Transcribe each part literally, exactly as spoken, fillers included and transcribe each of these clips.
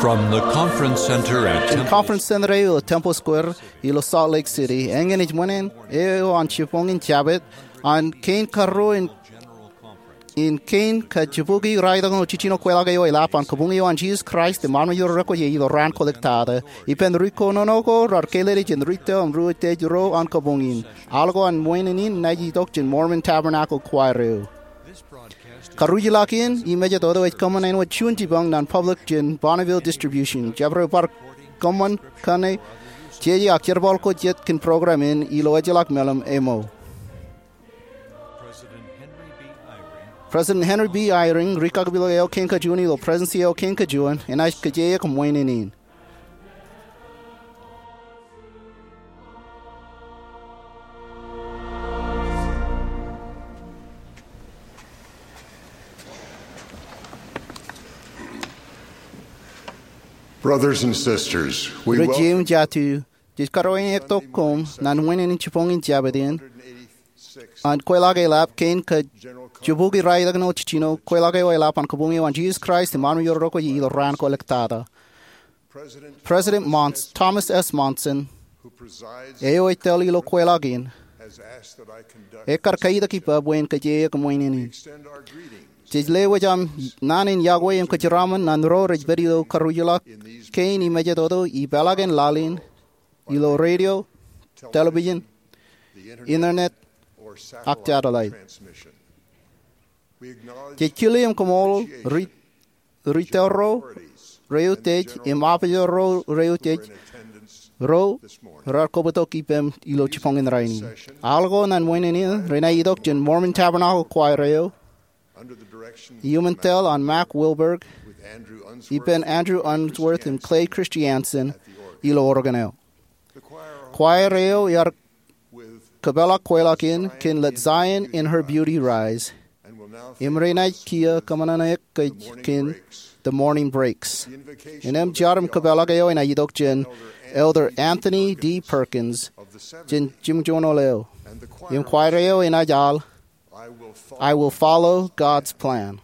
From the conference center at Temple Conference Center eo ilo Temple Square ilo Salt Lake City, eñin ej ṃōṇōṇō eo an jibboñin Jabōt an kein karuo in, in kein kajibukwi raelōñ eo jiljino kweilọk eo eḷap an Kabuñ eo an Jesus Christ im armej ro rekwōj ilo raan kwōlōktata. Ippān ri kōnono ko raar kālele jān ri tōl im ri utiej ro an kabuñ in. Aḷ ko an ṃoen in enaaj itok jān Mormon Tabernacle Choir eo. Karuj ḷọk in, im ej jet oto ej kōṃṃan āinwōt juon jipañ ṇe public jān Bonneville Distribution. Jabdewōt bar kōṃṃan kōṇe jeje ak jerbal ko jet kōn program in ilo ejjeḷọk meḷeṃ ṃōṃ. President Henry B. Eyring, ri-kakpilōk eo kein kajuon ilo Prestuhnsi eo kein kajuon, enaaj kōjeañ ṃoen in. Brothers and sisters, we Ri-jeim jatū, jej karuwainektok koṃ ñan ṃoen in jibboñin Jabōt in an kweilọk eḷap kein kajibukwi raelōñ eo jiljino kweilọk eo eḷap an Kabuñ eo an Jesus Christ im armej ro rekwōj ilo raan kwōlōktata. President Mons-, Thomas S. Monson, eo ej tōl ilo kweilọk in, ekar kaitok ippa bwe in kōjeañ ṃoen in. Jej lewōj aṃ naan in yokwe im kōjeraṃṃan ñan ro rej pād ilo karuj ḷọk kein im ej jet oto ipeḷaakin laḷ in ilo radio, television, internet, ak satellite. Jej kile im kaṃṃoolol ri, ri tōl ro reutiej im opijer ro reutiej ro raar kobwitok ippām ilo jibboñin rainin. Aḷ ko ñan ṃoen in renaaj itok jān Mormon Tabernacle Choir eo iuṃwin tōl an Mack Wilberg ippān Andrew Unsworth im Clay Christiansen ilo organ eo. Choir eo ear kōpeḷḷọk kweilọk in kōn Let Zion in Her Beauty Rise im renaaj kiiō kōṃṃan ṇe kōj kōn The Morning Breaks. Innām jar im kōpeḷḷọk eo enaaj itok jān Elder Anthony D. Perkins jān jimjuon eo im choir eo enaaj aḷ I Will Follow God's Plan.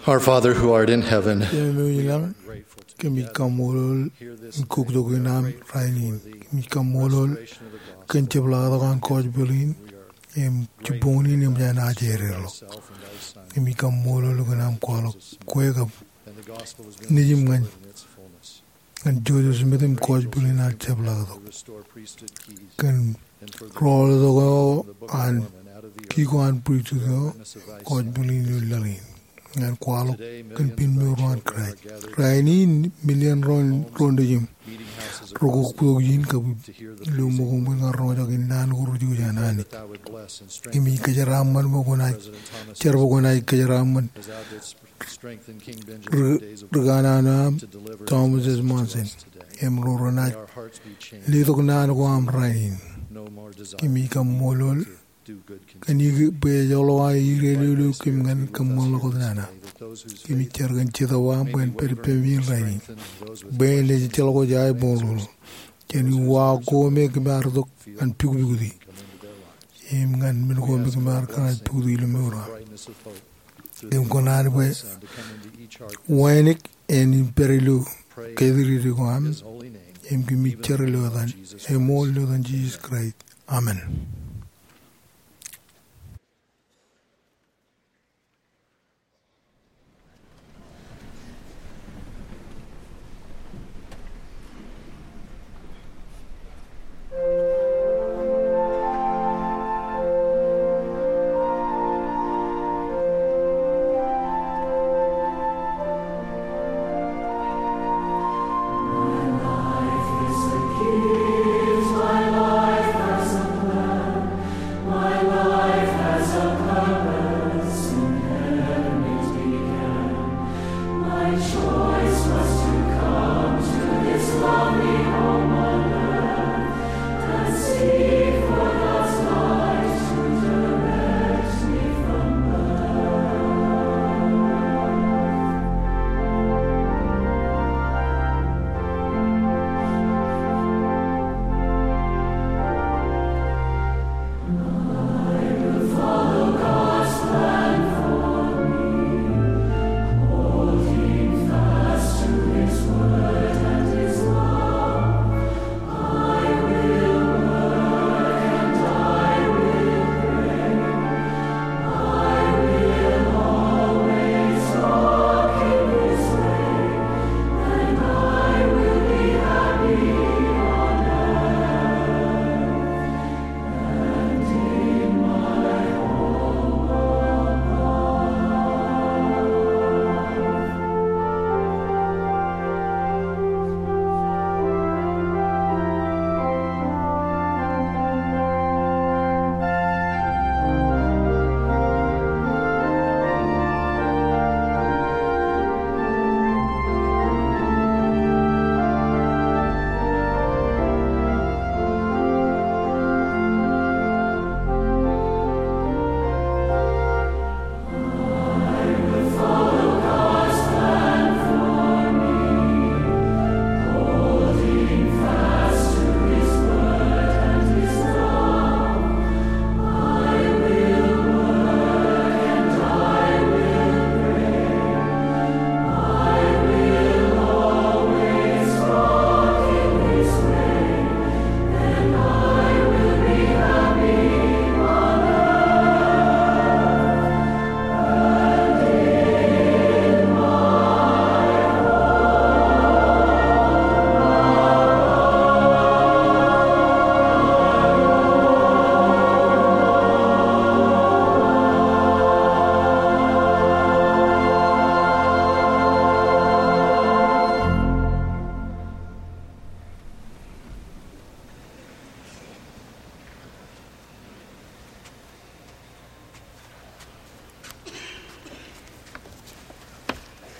Our Father who art in heaven, Jemem eo ilañ, kōmij kaṃṃoolol im kuktok in aṃ rainin. Kōmij kaṃṃoolol kōn jepḷaaktok an gospel in im jibboñ in eṃōj an ajeeded ḷọk. Kōmij kaṃṃoolol kōn aṃ kwaḷọk kwe kab nejiṃ ñan ñan Joseph Smith im gospel in ear jepḷaaktok. Kōn rọọltok eo an ki ko an pristut eo, gospel in ilo laḷ in. Ñan kwaḷọk kōn pen mour eo an Kraist. Rainin, million ro, ro nejiṃ rekoktok ijin kab ilo ṃōko ṃōj ñan roñjake naan ko rej jouj an Anij. Kōmij kōjeraaṃṃan bwe kwōnaaj, jar bwe kwōnaaj kōjeraaṃṃan ri-, rikanaan eo aṃ Thomas S. Monson im ro renaaj letok naan ko aṃ rainin. Kōmij kaṃṃoolol kōn bwe ej joḷọk aō irein ilo kōm ñan kōṃṃan ḷọk wōt nana. Kōmij jar kōn Jetōb eo aṃ bwe en pād ippemi in rainin, bwe en lejejjeḷọk wōj aō boñroñ. Jān uwaak ko me kōm ar itok ñan pukpuktiki im ñan men ko me kōm ar kōṇaan pukpuktiki ilo mour eo aṃ. Im kōṇaan bwe wānōk en pād ilo katrōk ko aṃ, im kōmij jar ilo etan, eṃool ilo etan Jisōs Kraist. Amen.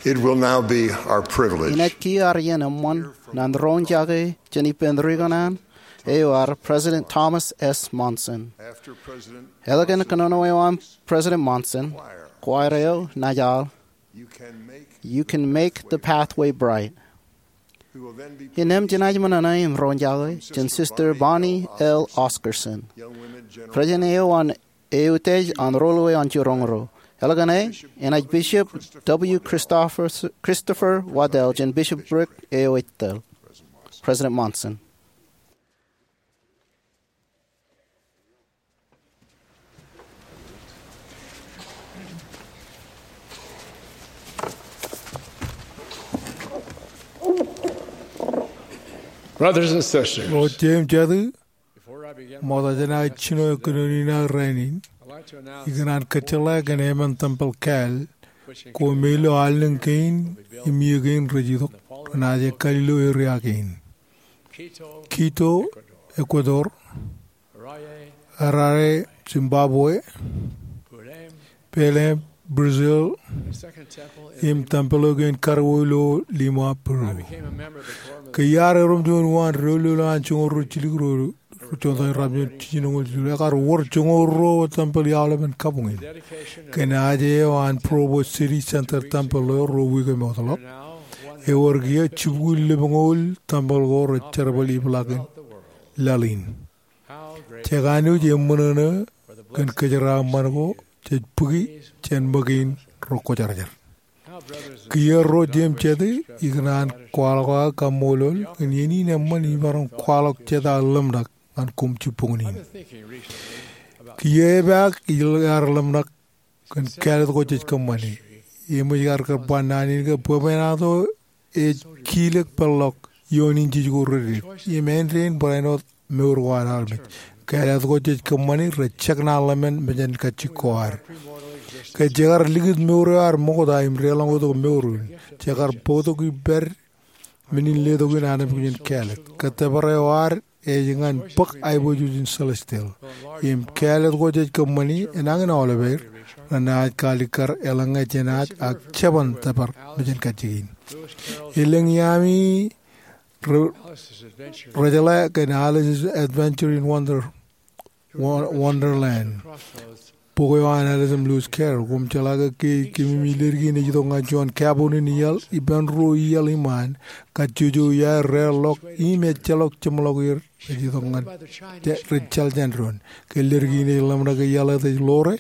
It will now be our privilege. Inaaj kiiō ad iien eṃṃan ñan roñjake jān ippān ri kanaan eo ad, President Thomas S. Monson. After President Eḷap kōnono eo an President Monson, choir eo naaj al You Can Make the Pathway Bright. Innām jenaaj ṃōṇōṇō im roñjake jān Sister Bonnie L. Oscarson, president eo an eutiej an roḷọk eo an jiroñ ro, Eḷap ñan eṇ, enaaj Bishop W. Christopher, Christopher Waddell jān Bishopric eo ej tōl. President Monson. Brothers and sisters, ro jeiū im jatū, ṃokta jān aō jino kōnono in aō rainin, ikōṇaan kōjjeḷā kōn emān tempel kāāl ko me ilo allōñ kein im iiō kein rej itok renaaj ekkāl ilo area kein: Quito, Ecuador; Harare, Zimbabwe; Belém, Brazil; im tempel eo kein karuo ilo Lima, Peru. Ke iar erom juon uwaan doulul an joñoul ruo jilu ro, ro joñoul ruo jilu, ekar wōr joñoul ruo tempel i aolepen kabuñ in. Ke naaj eo an Provo City Center Tempel eo ruo wiik im ḷọk, ewōr kiiō jibukwi lemñoul tempel ko rej jerbal ipḷaak in laḷ in. Jekanooj eṃṃōṇōṇō kōn kōjeraaṃṃan ko jej bōki jān ṃōk in rej kwōjarjar. Kiiō ro jeiū im jatū, ikōṇaan kwaḷọk aō kaṃṃoolol kōn iien in eṃṃan imaroñ kwaḷọk jet aō ḷōmṇak ñan koṃ jibboñōn in. Kiiō epaak ilo ad ḷōmṇak kōn kāālōt ko jej kōṃṃane. Eṃōj kar kar ba naan in ke bwebwenato ej kilōk peḷḷọk ioon injij ko reddik im āindein barāinwōt mour ko an armej. Kāālōt ko jej kōṃṃane rej jekdọọn ḷōmṇak mejānkajjik ko ad. Ke jekar likūt mour eo ad ṃokta im deḷọñotok mour in, jekar bōktok ippād men in letok in armej kōn jān kāālōt. Kōttōpar eo ad ej ñan bōk aiboojoj in celestial. Im kāālōt ko jej kōṃṃane enañin aolepāer renaaj kaalikkar eḷaññe jenaaj ak jeban tōpar mejānkajjik in. Elōñ iaami re-, rejeḷā kōn Alice's Adventure in Wonder-, Wo-, Wonderland, bok eo an Alice im Lewis Carroll. Koṃ jeḷā ke, ke kōmij leddik in ej itok ñan juon kabooṇ in iaḷ, ippān ruo iaḷ iṃaan, kajjojo iaer reḷọk im ejjeḷọk jeṃḷọk er rej itok ñan, rej jeḷ jān doon. Ke leddik in ej ḷōmṇak ke iaḷ eo ej ḷoore,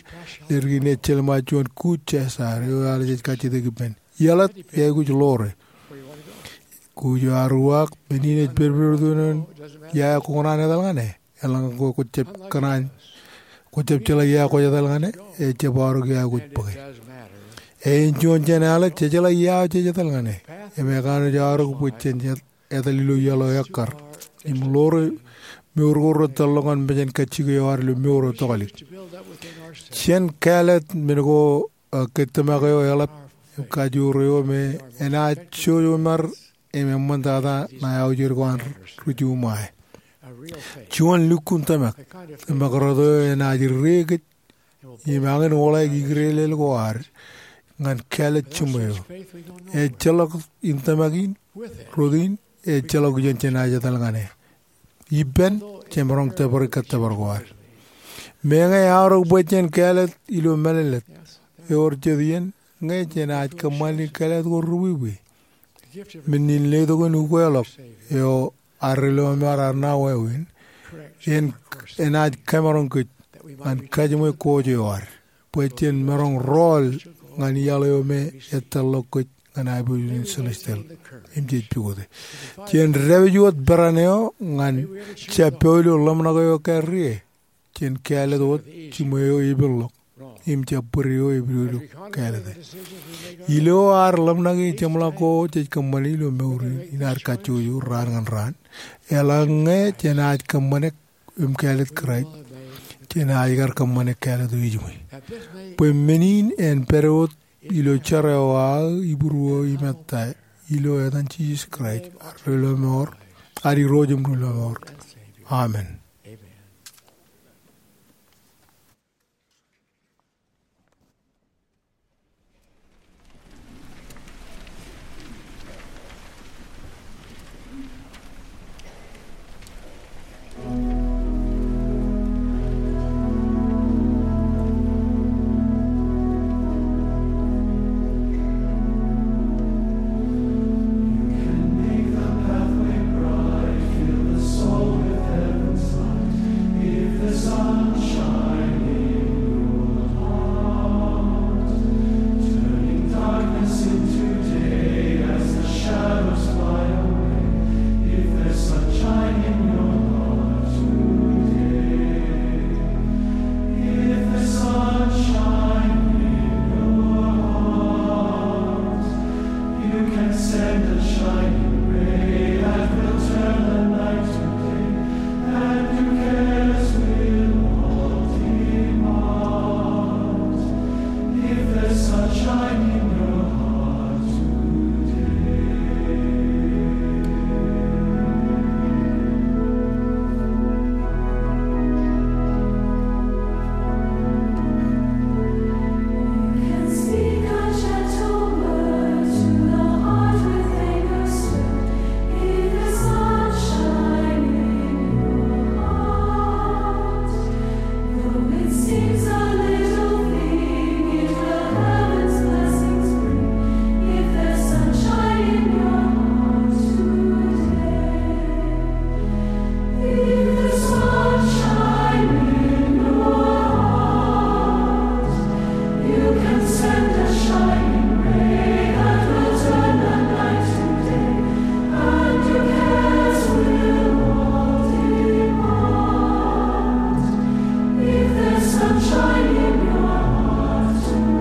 leddik in ej jelṃae juon kuuj jesaar eo Alice ej kajjitōk ippān. Iaḷ eo aikuj ḷoore. Kuuj eo ear uwaak, men in ej pedped tok ioon ia eo kwō kōṇaan etal ñan e. Eḷaññe kwō, kwō jab kōṇaan, kwō jab jeḷā ia eo kwōj etal ñan e, ejjab aorōk ia eo kwōj bōke. Āinjuon jān Alice, jejeḷā ia eo jej etal ñan e. Im ekanooj aorōk bwe jen etal ilo iaḷ eo ekkar im ḷoore mour ko rej tōl ḷọk ñan mejānkajjik eo ad ilo mour eo tokālik. Jen kāālōt men ko, a, ke tōmak eo eḷap im kajoor eo me enaaj jouj oṃar im eṃṃantata ṇae aujed ko an ri-, ri-Jumwae. Juon lukkuun tōmak, tōmak rot eo enaaj ri-kōj im añin wōḷāik ikdeḷeḷ ko ad ñan kāālōt jiṃwe eo. Ejjeḷọk in tōmak in, rot in, ejjeḷọk iien jenaaj etal ñan e. Ippān, jemaroñ tōpare kōttōpar ko ad. Meñe eaorōk bwe jen kāālōt ilo mālōtlōt, ewōr jet iien ñe jenaaj kōṃṃani kāālōt ko ri-wiwi. Men in letok in ukeḷọk eo arrelọmọọr ear ṇa wāween, en, enaaj kamaroñ kōj ñan kajiṃwe kōj eo ad, bwe jen maroñ rọọl ñan iaḷ eo me ej tōl ḷọk kōj ñan aiboojoj in celestial im jej pukote. Jen dāpij wōt peran eo ñan jab pād ilo ḷōmṇak eo ekkar rie. Jen kāālōt wōt jiṃwe eo epiḷ ḷọk im jab bōd eo epidodo kāālōte. Ilo ad ḷōmṇak im jeṃḷọk ko jej kōṃṃane ilo mour in, inaaj kajjojo raan ñan raan. Eḷaññe jenaaj kōṃṃane im kāālōt Kraist, jenaaj kar kōṃṃane kāālōt eo ejiṃwe. Bwe men in en pād wōt ilo jar eo aō ibūruō im ettā, ilo etan Jisōs Kraist, ad Irooj im Rilọmọọr. Amen. Seems a little thing if the heavens blessings bring, if there's sunshine in your heart today. If there's sunshine in your heart, you can send a shining ray that will turn the night to day, and your cares will all depart. If there's sunshine in your heart today.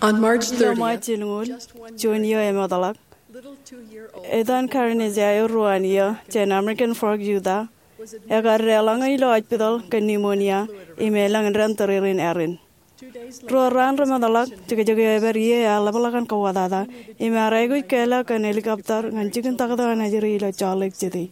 On March thirtieth, ilo Ṃaaj ilñuul, juon iiō eṃootḷọk, etan Karen Isaiah, ruo an iiō, jān American Fork, Utah, ekar deḷọñe ilo hospital kōn pneumonia im elōñ indeeo tōrerein ārin. Ruo raan remootḷọk, jekjek eo epād ie ear ḷapḷọk an kauwōtata im ear aikuj kālọk kōn helicopter ñan jikin taktō an ajri ilo Salt Lake City.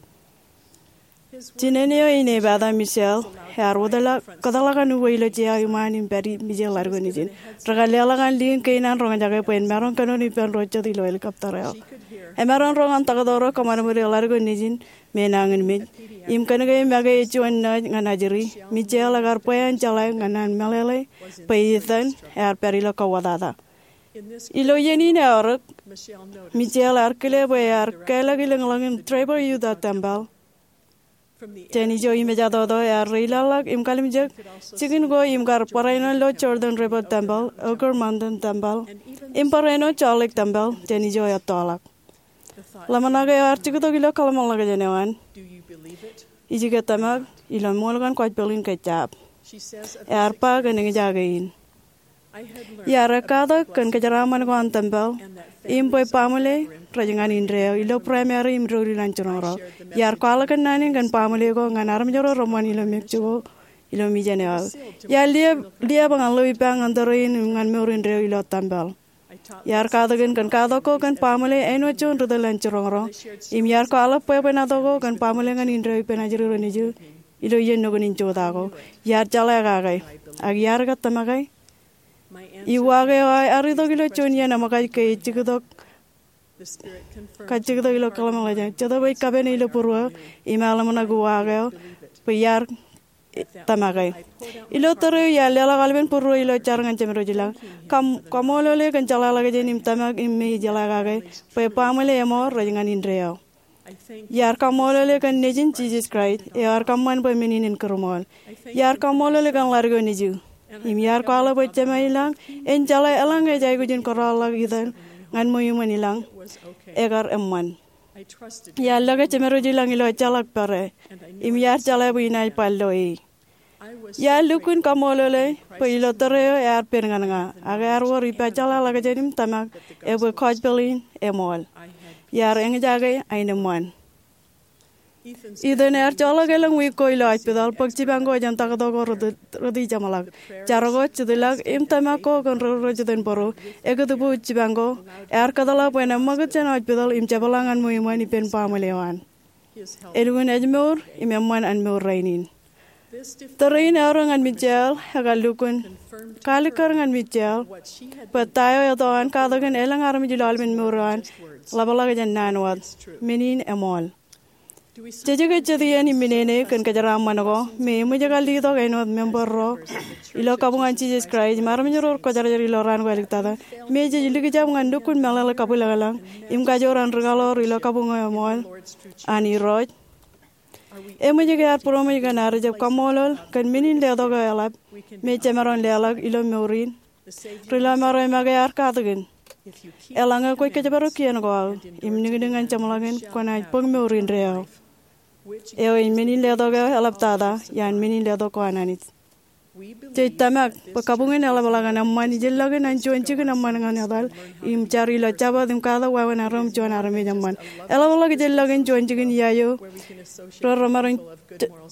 Jinen eo in epata, Michelle, ear wōtlọk kōtḷọk an uwe ilo jea iṃaan im pād mijel ḷadik eo nejin. Rekar leḷọk an liin kein an roñjake bwe en maroñ kōnono ippān ro jet ilo helicopter eo. Emaroñ roñ an taktō ro kōṃadṃōde ḷadik eo nejin me nañinmej im kōnke make ej juon nōj ñan ajri, Michelle ekar bwe an jeḷā ñan an meḷeḷe bwe etan ear pād ilo kauwōtata. Ilo iien in eorōk, Michelle ear kile bwe ear kālọk ilōñḷọk in Draper Utah Tempeḷ. Jān ijo im ejatoto ear reilaḷḷọk im kalimjek jikin ko im kar barāinwōt ilo Jordan River Tempeḷ, Eagle Mountain Tempeḷ, im barāinwōt Salt Lake Tempeḷ jān ijo ettoḷọk. Ḷōmṇak eo ear juktok ilo kōḷmānḷọkjeṇ eo an, Ij ke tōmak ilo ṃool kaṇ gospel in ke jab? Ear ba kōn eñjake in. Iar ekkatak kōn kōjeraaṃṃan ko an tempeḷ im bwe baaṃle rej ñan indeeo ilo primary im doulul an jiroñro. Iar kwaḷọk kōnnaan in kōn baaṃle ko ñan armej ro reṃṃan ilo Mexico ilo mijen eo aō. Iar liab, liab ñan ḷeo ippa ñan tōre in im ñan mour indeeo ilo tempeḷ. Iar katakin kōn katak ko kōn baaṃle āinwōt juon ri tōl an jiroñro. Im iar kwaḷọk bwebwenato ko kōn baaṃle ñan indeeo ippān ajri ro nejū ilo iien nukun in jota ko. Iar jeḷā kake, ak iar ke tōmake? Iwaak eo aō ear itok ilo juon iien eṃōkaj ke ej juktok, kajjuktok ilo kōḷmānḷọkjeṇ. Jetōb ej kapene ilo būruō im ear ḷōmṇak uwaak eo bwe iar tōmake. Ilo tōre eo iar leḷọk aolepen būruō ilo jar ñan jemdooj ilañ. Kaṃ-, kaṃṃoolole kōn jeḷāḷọkjeṇ im tōmak im me ij jeḷā kake bwe baaṃle eṃool rej ñan indeeo. Iar kaṃṃoolole kōn Nejin Jisōs Kraist eo ear kōṃṃan bwe men in en kūrṃool. Iar kaṃṃoolole kōn ḷadik eo nejū. Im iar kwaḷọk bwe Jema ilañ en jeḷā eḷaññe ej aikuj in kōrọọlḷọk itan ñan ṃweo iṃōn ilañ, ekar eṃṃan. Iar lōke jemed eo ilañ ilo ejjeḷọk pere, im iar jeḷā bwe inaaj bar lo e. Iar lukkuun kaṃṃoolol e bwe ilo tōre eo ear pen ñan ña, ak ear wōr ippajeḷāḷọkjeṇ im tōmak e bwe gospel in eṃool. Iar eñjake aenōṃṃan. Ethan ear joḷọk elōñ wiik ko ilo hospital bōk jipañ ko jān taktō ko rej ri jeṃḷọk. Jar ko, jitḷọk, im tōmak ko kōn ro rej jitōnbōro, ekūtbuuj jipañ ko, ear kōtḷọk bwe en eṃṃakūt jān hospital im jepḷaak ñan ṃweiṃōn ippān baaṃle eo an. Elukkuun ejmour im eṃṃan an mour rainin. Tōre in eọro ñan Michelle ekar lukkuun kalikkar ñan Michelle bwe ta eo eto an katakin elōñ armej ilo aolepen mour eo an ḷapḷọk jān naan wōt. Men in eṃool. Jej ke jet iien im menene kōn kōjeraaṃṃan ko me eṃōj kar letok āinwōt member ro ilo kabuñ an Jisōs Kraist im armej ro rekwōjarjar ilo raan ko āliktata, me jej likjab ñan lukkuun meḷeḷe kabwilōñlōñ im kajoor an rikaḷoor ilo kabuñ eṃool an Irooj? Eṃōj ke ear būroṃōj kōn ad jab kaṃṃoolol kōn men in letok eo eḷap me jemaroñ leḷọk ilo mour in? Ri lọmọọr eo make ear katakin, eḷaññe kwōj kōjparok kien ko aō im niknik ñan jeṃḷọkin, kwōnaaj bōk mour indeeo. Eo ej men in letok eo eḷaptata iaan men in letok ko an Anij. Jej tōmak bwe kabuñ in eḷapḷọk an eṃṃan ijellọkin an juon jikin eṃṃan ñan etal im jar ilo Jabōt im katak wāween arro im juon armej eṃṃan. Eḷapḷọk ijellọkin juon jikin iaio ro remaroñ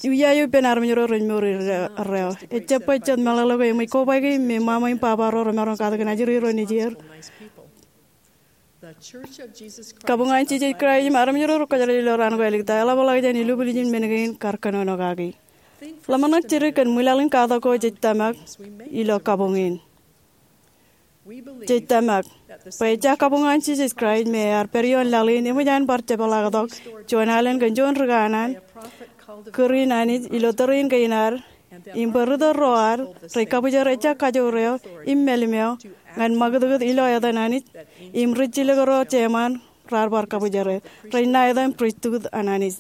iaio ippān armej ro rej mour erreo. Ejjab bwe jet meḷeḷe ko eṃōj kobaiki me ṃaṃa im baba ro remaroñ katakin ajri ro nejier. Kabuñ an Jisōs Kraist im armej ro rekwōjarjar ilo raan ko āliktata eḷapḷọk jān ilubwiljin men kein kar kōnono kaki. Ḷōmṇak jidik kōn ṃwilaḷ in katak ko jej tōmak ilo kabuñ in. Jej tōmak bwe ejja kabuñ an Jisōs Kraist me ear pād ioon laḷ in eṃōj an bar jepḷaaktok juon alen kōn juon ri kanaan kūr in Anij ilo tōre in kein ad, im bwe ritōl ro ad rej kabwijer ejja kajoor eo im mālim eo ñan ṃakūtkūt ilo etan Anij, im rijjilōk ro jeṃaan raar bar kabwijere rej ṇa etan pristut an Anij.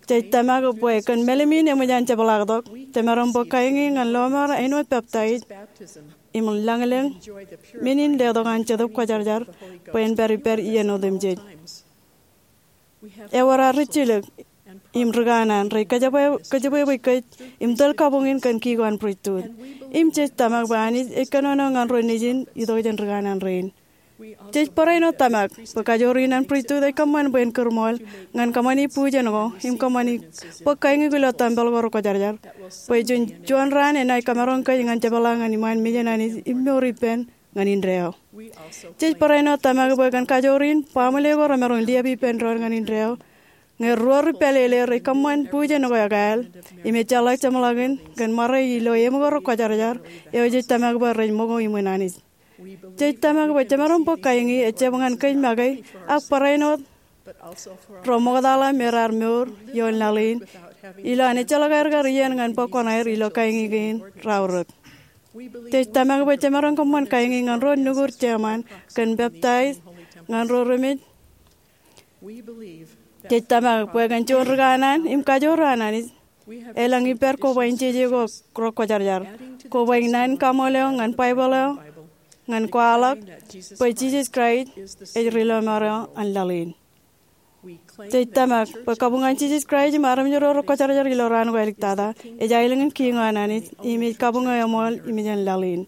Jej tōmak bwe kōn mālim in eṃōj an jepḷaaktok, jemaroñ bōk kaingi ñan lọmọọr āinwōt peptaij im lañlōñ men in letok an Jetōb Kwōjarjar bwe en pād ippād iien otemjej. Ewōr ad rijjilōk im ri kanaan rej kōjebwebwe kōj im tōl kabuñ in kōn kiko an pristut. Im jej tōmak bwe Anij ej kōnono ñan ro nejin itok jān ri kanaan rein. Jej barāinwōt tōmak bwe kajoor in an pristut ej kōṃṃan bwe en kūrṃool ñan kōṃṃani bujen ko im kōṃṃani bōk kaingi ilo tempel ko rekwōjarjar bwe jen juon raan enaaj kamaroñ kōj ñan jepḷaak ñan iṃaan mejān Anij im mour ippān ñan indeeo. Jej barāinwōt tōmak bwe kōn kajoor in baaṃle ko remaroñ liab ippān doon ñan indeeo, ñe ruo ri pālele rej kōṃṃan bujen ko ekāāl im ejjeḷọk jeṃḷọkin kōn ṃare ilo eṃ ko rekwōjarjar eo jej tōmak bwe rej ṃōko iṃōn Anij. Jej tōmak bwe jemaroñ bōk kaingi ejjab ñan kōj make ak barāinwōt ro ṃoktaḷa me raar mour ioon laḷ in ilo an ejjeḷọk aer kar iien ñan bōk koṇaer ilo kaingi kein raorōk. Jej tōmak bwe jemaroñ kōṃṃan kaingi ñan ro nukud jeṃaan kōn peptaij ñan ro remej. Jej tōmak bwe kōn juon ri kanaan im kajoor an Anij, elōñ ippād kobaik in jeje ko rekwōjarjar, kobaik in naan in kaṃool eo ñan Baibōḷ eo, ñan kwaḷọk bwe Jisōs Kraist ej ri lọmọọr eo an laḷ in. Jej tōmak bwe kabuñ an Jisōs Kraist im armej ro rekwōjarjar ilo raan ko āliktata ej aelōñ in kiiñ eo an Anij im ej kabuñ eo eṃool im ej an laḷ in.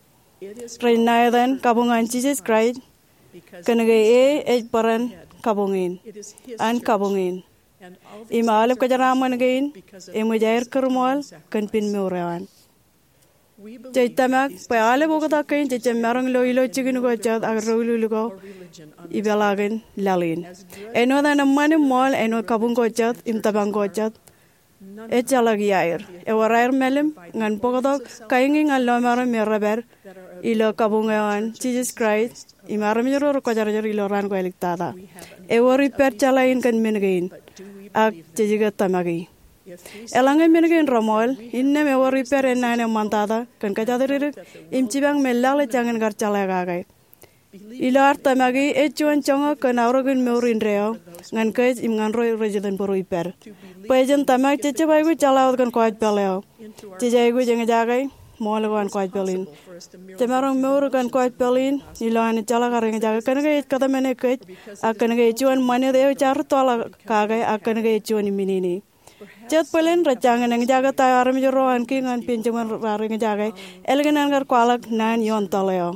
Rej ṇa etan kabuñ an Jisōs Kraist kōnke e ej bōran kabuñ in, an kabuñ in, im aolep kōjeraaṃṃan kein eṃōj aer kūrṃool kōn pen mour eo an. Jej tōmak bwe aolep oktak kein jej jab maroñ lo ilo jikin ko jet ak doulul ko ipeḷaakin laḷ in. Āinwōt an eṃṃan im ṃool āinwōt kabuñ ko jet im tōprak ko jet, ejjeḷọk iaer. Ewōr aer mālim ñan bōktok kaingi ñan lọmọọr me rej pād ilo kabuñ eo an Jisōs Kraist im armej ro rekwōjarjar ilo raan ko āliktata. Ewōr ippād jeḷā in kōn men kein, ak jej ke tōmaki. Eḷaññe men kein reṃool, innām ewōr ippād ennaan eṃṃantata kōn kōjatdikdik im jipañ me laḷ ej jañin kar jeḷā kake. Ilo ad tōmaki, ej juon joñak kōn aorōk in mour indeeo ñan kōj im ñan ro rej itōnbōro ippād. Bwe jen tōmak, jej jab aikuj jeḷā wōt kōn gospel eo. Jej aikuj eñjake ṃool ko an gospel in. Jemaroñ mour kōn gospel in ilo an jeḷā kar eñjake kōnke ej kōtmāne kōj, ak kōnke ej juon ṃanit eo jaar rūttoḷọk kake, ak kōnke ej juon iminini. Jet bōlen rej jañin eñjake ta eo armej ro an kiiñ ñan Benjamin raar eñjake, ālikin an kar kwaḷọk naan ioon tōl eo.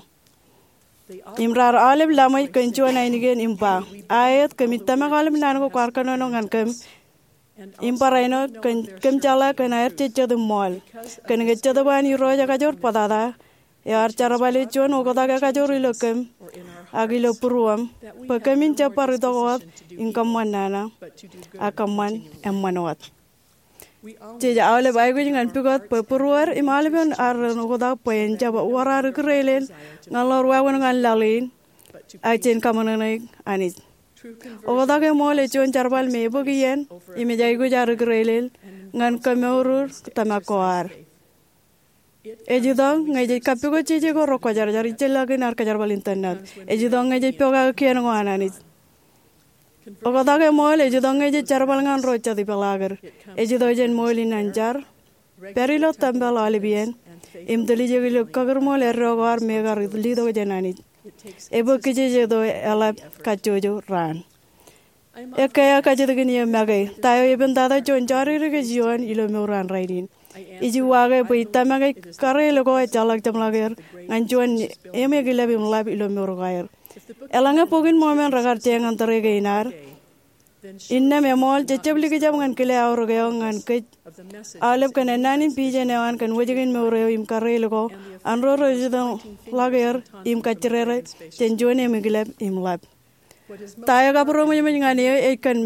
Im raar aolep laṃōj kōn juon ainikien im ba, aet, kōmij tōmak aolep naan ko kwaar kōnono ñan kōm, im barāinwōt kōm jeḷā kōn aer jejjet im ṃool. Kōnke Jetōb an Irooj ekajoor bōtata, eo ear jerbale juon oktak ekajoor ilo kōm, ak ilo būruōṃ, bwe kōmin jab bar itok wōt im kōṃṃan nana, ak kōṃṃan eṃṃan wōt. Jej aolep aikuj ñan pukot bwe būruod im aolepen ad ren oktak bwe en jab wōr ad ikūreelel ñan ḷoor wāween ko an laḷ in, ak jen kaṃōṇōṇōik Anij. Oktak eṃool ej juon jerbal me ebōk iien, im ej aikuj ad ikūreelel ñan kōmour tōmak ko ad. Ej itok ñe jej kappukot jeje ko rekwōjarjar ijellọkin ad kōjerbal in tōnnad. Ej itok ñe jej pokake kien ko an Anij. Oktak eṃool ej itok ñe jej jerbal ñan ro jet ipeḷaakid. Ej itok jān ṃool in an jar, pād ilo tempeḷ aolep iien, im tiljek ilo kakūrṃool eddo ko ad me kar letok jān Anij. Ebōk kijeje eo eḷap kajjojo raan. Ekkā eo kajjitōkin eō make, ta eo epād tata juon jodikdik ej ioon ilo mour an rainin. Ij uwaake bwe ij tōmak ej kareel ko ejjeḷọk jeṃḷọk er ñan juon eṃ eklep im ḷap ilo mour ko aer. Eḷaññe Bok in Mormon rekar je ñan tōre kein ad, innām eṃool jejjab likjab ñan kile aorōk eo ñan kōj aolep kōn ennaan in pijen eo an kōn wōjke in mour eo im kareel ko an ro rej jutak ḷọk er im kajjirere jān juon eṃ eklep im ḷap. Ta eo ekabūroṃōjṃōj ñan eō ej kōn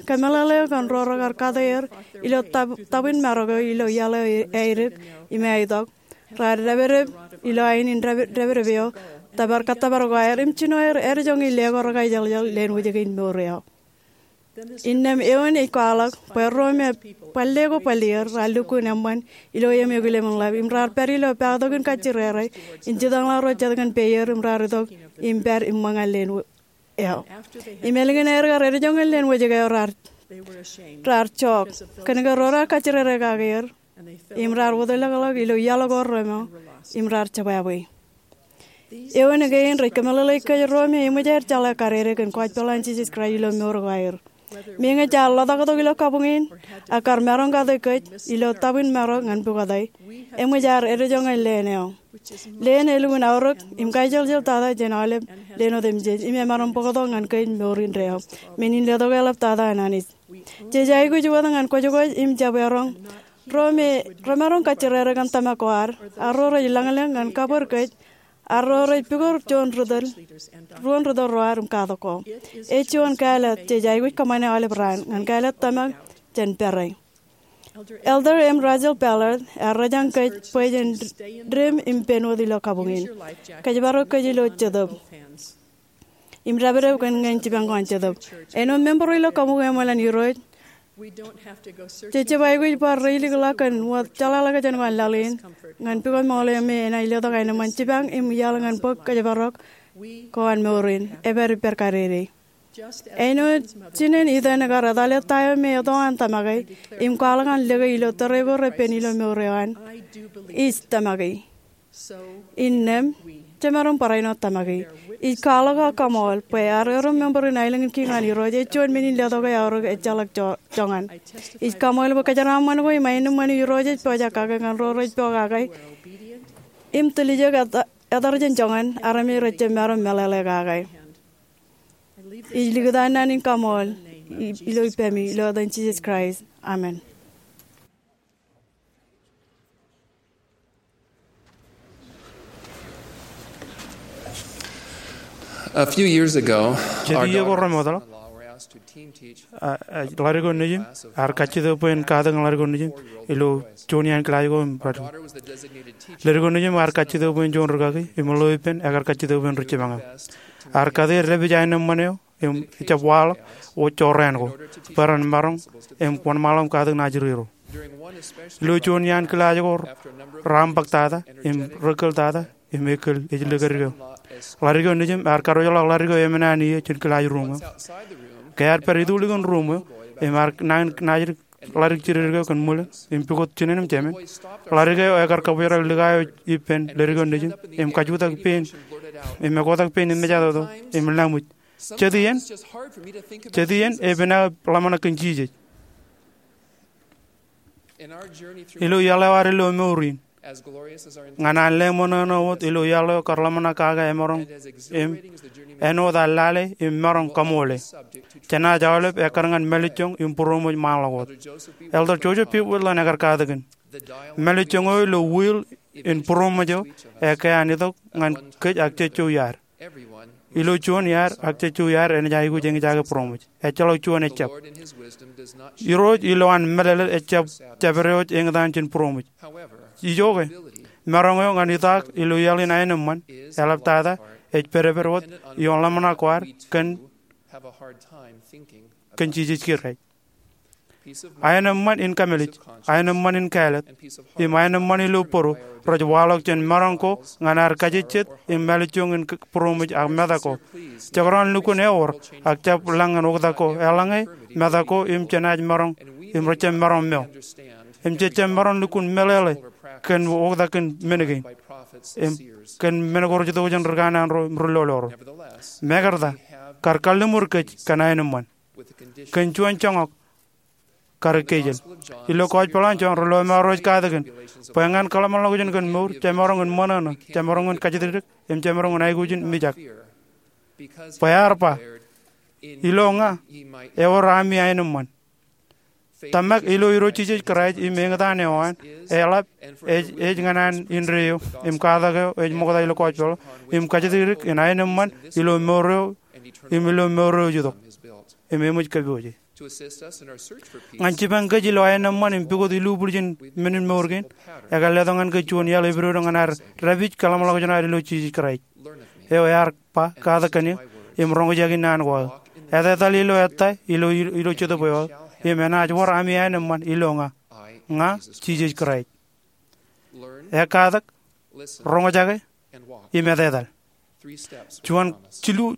kōmeḷeḷe eo kōn ro rekar kate er ilo tab-, tabwin marok eo ilo iaḷ eo aedik im aetok, raar dāpdep ilo ain in dāpdep eo, tōpar kōttōpar ko aer im jino aer ādejoñi le ko rekaijeḷjeḷ leen wōjke in mour eo. Innām eoon ej kwaḷọk bwe ro me bōlen ko bōlen er raar lukkuun eṃṃan ilo eṃ eklep im ḷap im raar pād ilo paaktok in kajjirere im jutak ḷọk ro jet kōn peier im raar itok im pād im ṃōñā leen eo. Im ālikin aer kar ādejoñe leen wōjke eo raar, raar jook kōnke ro raar kajjirere kake er im raar wōtlọklọk ilo iaḷ ko reṃeo im raar jebwābwe. Eoon kein rej kōmeḷeḷeik kōj ro me eṃōj aer jeḷā kadede kōn gospel an Jisōs Kraist ilo mour ko aer. Meñe jaar ḷotaktok ilo kabuñ in, ak kar maroñ kate kōj ilo tabwin marok ñan pukot e, eṃōj aer ādejoñe leen eo. Leen elukkuun aorōk im kaijeḷjeḷ tata jān aolep leen otemjej im emaroñ bōktok ñan kōj mour indeeo. Men in letok eḷap tata an Anij. Jej aikuj wōt ñan kwōjkwōj im jab eroñ ro me remaroñ kajjirere kōn tōmak ko ad, ak ro rej lañlōñ ñan kabōd kōj, ak ro rej pukot juon ri tōl, ruon ri tōl ro ad im katak ko. Ej juon kāālōt jej aikuj kōṃṃane aolep raan ñan kāālōt tōmak jān pere. Elder M. Russell Ballard ear rōjañ kōj bwe jen dim im pen wōt ilo kabuñ in. Kōjparok kōj ilo Jetōb im dāpdep kōn ñan jipañ ko an Jetōb. Āinwōt member ro ilo kabuñ eṃōl an Irooj, jej jab aikuj bar reilikḷọk kōn wōt jeḷāḷọkjeṇ ko an laḷ in ñan pukot ṃool eo me enaaj letok aenōṃṃan jipañ im iaḷ ñan bōk kōjparok ko an mour in. Epād ippād kadede. Āinwōt jinen itōn ekar etale ta eo me eto an tōmake im kwaḷọk an lōke ilo tōre ko repen ilo mour eo an, ij tōmake. Innām, jemaroñ barāinwōt tōmake. Ij kwaḷọk ak kaṃool bwe ear erom member in aelōñ in kiiñ an Irooj ej juon men in letoke aorōk ejjeḷọk jo-, joñan. Ij kaṃool bwe kōjeraaṃṃan ko im aenōṃṃan eo Irooj ej pojak kake ñan ro rej pokake im tiljek etar, etar jān joñan armej rej jab maroñ meḷeḷe kake. Ij likūt naan in kaṃool i-, ilo ippemi ilo etan Jisōs Kraist. Amen. A few years ago, jet iiō ko remootḷọk, ḷadik eo nejim ear kajjitōk bwe en katakin ḷadik eo nejim ilo juon iaan kilaaj ko im ḷadik. Ḷadik eo nejim ear kajjitōk bwe en juon rikaki im ḷeo ippān ekar kajjitōk bwe en ri jipañ. Ear kate er dāpij aenōṃṃan eo im ejjab waḷọk wōt jorrāān ko bwe ren maroñ im wōnṃaanḷọk im katakin ajri ro. Ilo juon iaan kilaaj ko, raṃ bōk tata im rekkōl tata im ekkōl ej lōke dik eo. Ḷadik eo nejim ear karuj ḷọk ḷadik eo emān an iiō jān kilaaj ruuṃ eo. Ke ear pād itulikin ruuṃ eo im ear nañin naajdik ḷadik jidikdik eo kōn ṃwilōñ im pukot jinen im jemān. Ḷadik eo ekar kabōjrak likaio ippān ledik eo nejin im kajutak pein im ekotak pein im mejatoto im laṃōj. Jet iien, jet iien epen aō ḷōmṇak kōn Jisōs. Ilo iaḷ eo ad ilo mour in, ñan an lale ṃōṇōṇō wōt ilo iaḷ eo kar ḷōmṇak kake emaroñ im āinwōt ad lale im maroñ kaṃoole, jenaaj aolep ekkar ñan mālejjoñ im būroṃōj ṃaanḷọk wōt. Elder Joseph B. Wirthlin ekar katakin, mālejjoñ eo ilo wheel in būroṃōj eo eke an itok ñan kōj ak jejjo iaad. Ilo juon iaad ak jejjo iaad enaaj aikuj eñjake būroṃōj. Ejjeḷọk juon ejjab. Irooj ilo an meḷeḷe ejjab jabdewōj eñtaan jān būroṃōj. Ijoke, maroñ eo ñan itaak ilo iaḷ in aenōṃṃan, eḷaptata, ej pedped wōt ioon ḷōmṇak ko ad kōn, kōn Jisōs Kraist. Aenōṃṃan in kamālij, aenōṃṃan in kālet, im aenōṃṃan ilo bōro rej waḷọk jān maroñ ko ñan ad kajejjet im mālejjoñ in k-, būroṃōj ak metak ko. Jekdọọn lukkuun ewōr ak jab lañ ñan oktak ko, eḷaññe metak ko im jenaaj maroñ im rejjab maroñ meo. Im jejjab maroñ lukkuun meḷeḷe kōn oktak kōn men kein im kōn men ko rej itok jān ri kanaan ro im ri lolorro. Mekarta, kar kalliṃur kōj kōn aenōṃṃan kōn juon joñak kar ekkejel. Ilo Gospel an Jon, ri lọmọọr eo ej katakin bwe ñan kōḷmānḷọkjeṇ kōn mour, jemaroñ in ṃōṇōṇō, jemaroñ in kajatdikdik, im jemaroñ in aikuj in mijak. Bwe ear ba, ilo ña ewōr ami aenōṃṃan. Tōmak ilo Irooj Jisōs Kraist im eñtaan eo an, eḷap ej, ej ñan an indeeo im katak eo ej ṃokta ilo Gospel, im kajatdikdik in aenōṃṃan ilo mour eo, im ilo mour eo ej itok im eṃōj kōpooje. Ñan jipañ kōj ilo aenōṃṃan im pukot ilubwiljin men in mour kein, ekar letok ñan kōj juon iaḷ epidodo ñan ad dāpij kōḷmānḷọkjeṇ ad ilo Jisōs Kraist. Eo ear ba, katak kōn eō, im roñjake naan ko aō. Etetal ilo ettā, ilo, ilo jetōb eo aō, im enaaj wōr ami aenōṃṃan ilo ña. Ña Jisōs Kraist. Ekkatak, roñjake, im etetal. Juon jilu,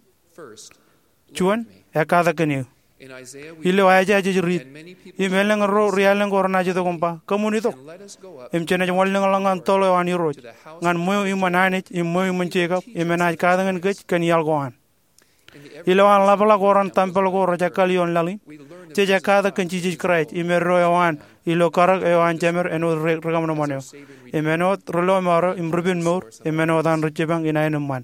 juon, ekkatak kōn eō. Ilo Aiseia jej riit, im elōñ ro ri-alen ko renaaj itok im ba, kōṃwin itok, im jenaaj wanlōñḷọk ñan toḷ eo an Irooj, ñan ṃweo iṃōn Anij im ṃweo iṃōn Jekob, im enaaj katakin kōj kōn iaḷ ko an. Ilo an ḷapḷọk ko ren tempel ko rej ekkal ioon laḷ in, jej ekkatak kōn Jisōs Kraist im eddo eo an ilo karōk eo an jemed āinwōt ri, ri-kaṃōṃōn eo, im āinwōt ri lọmọọr eo im ri-penmour, im āinwōt an ri jipañ in aenōṃṃan.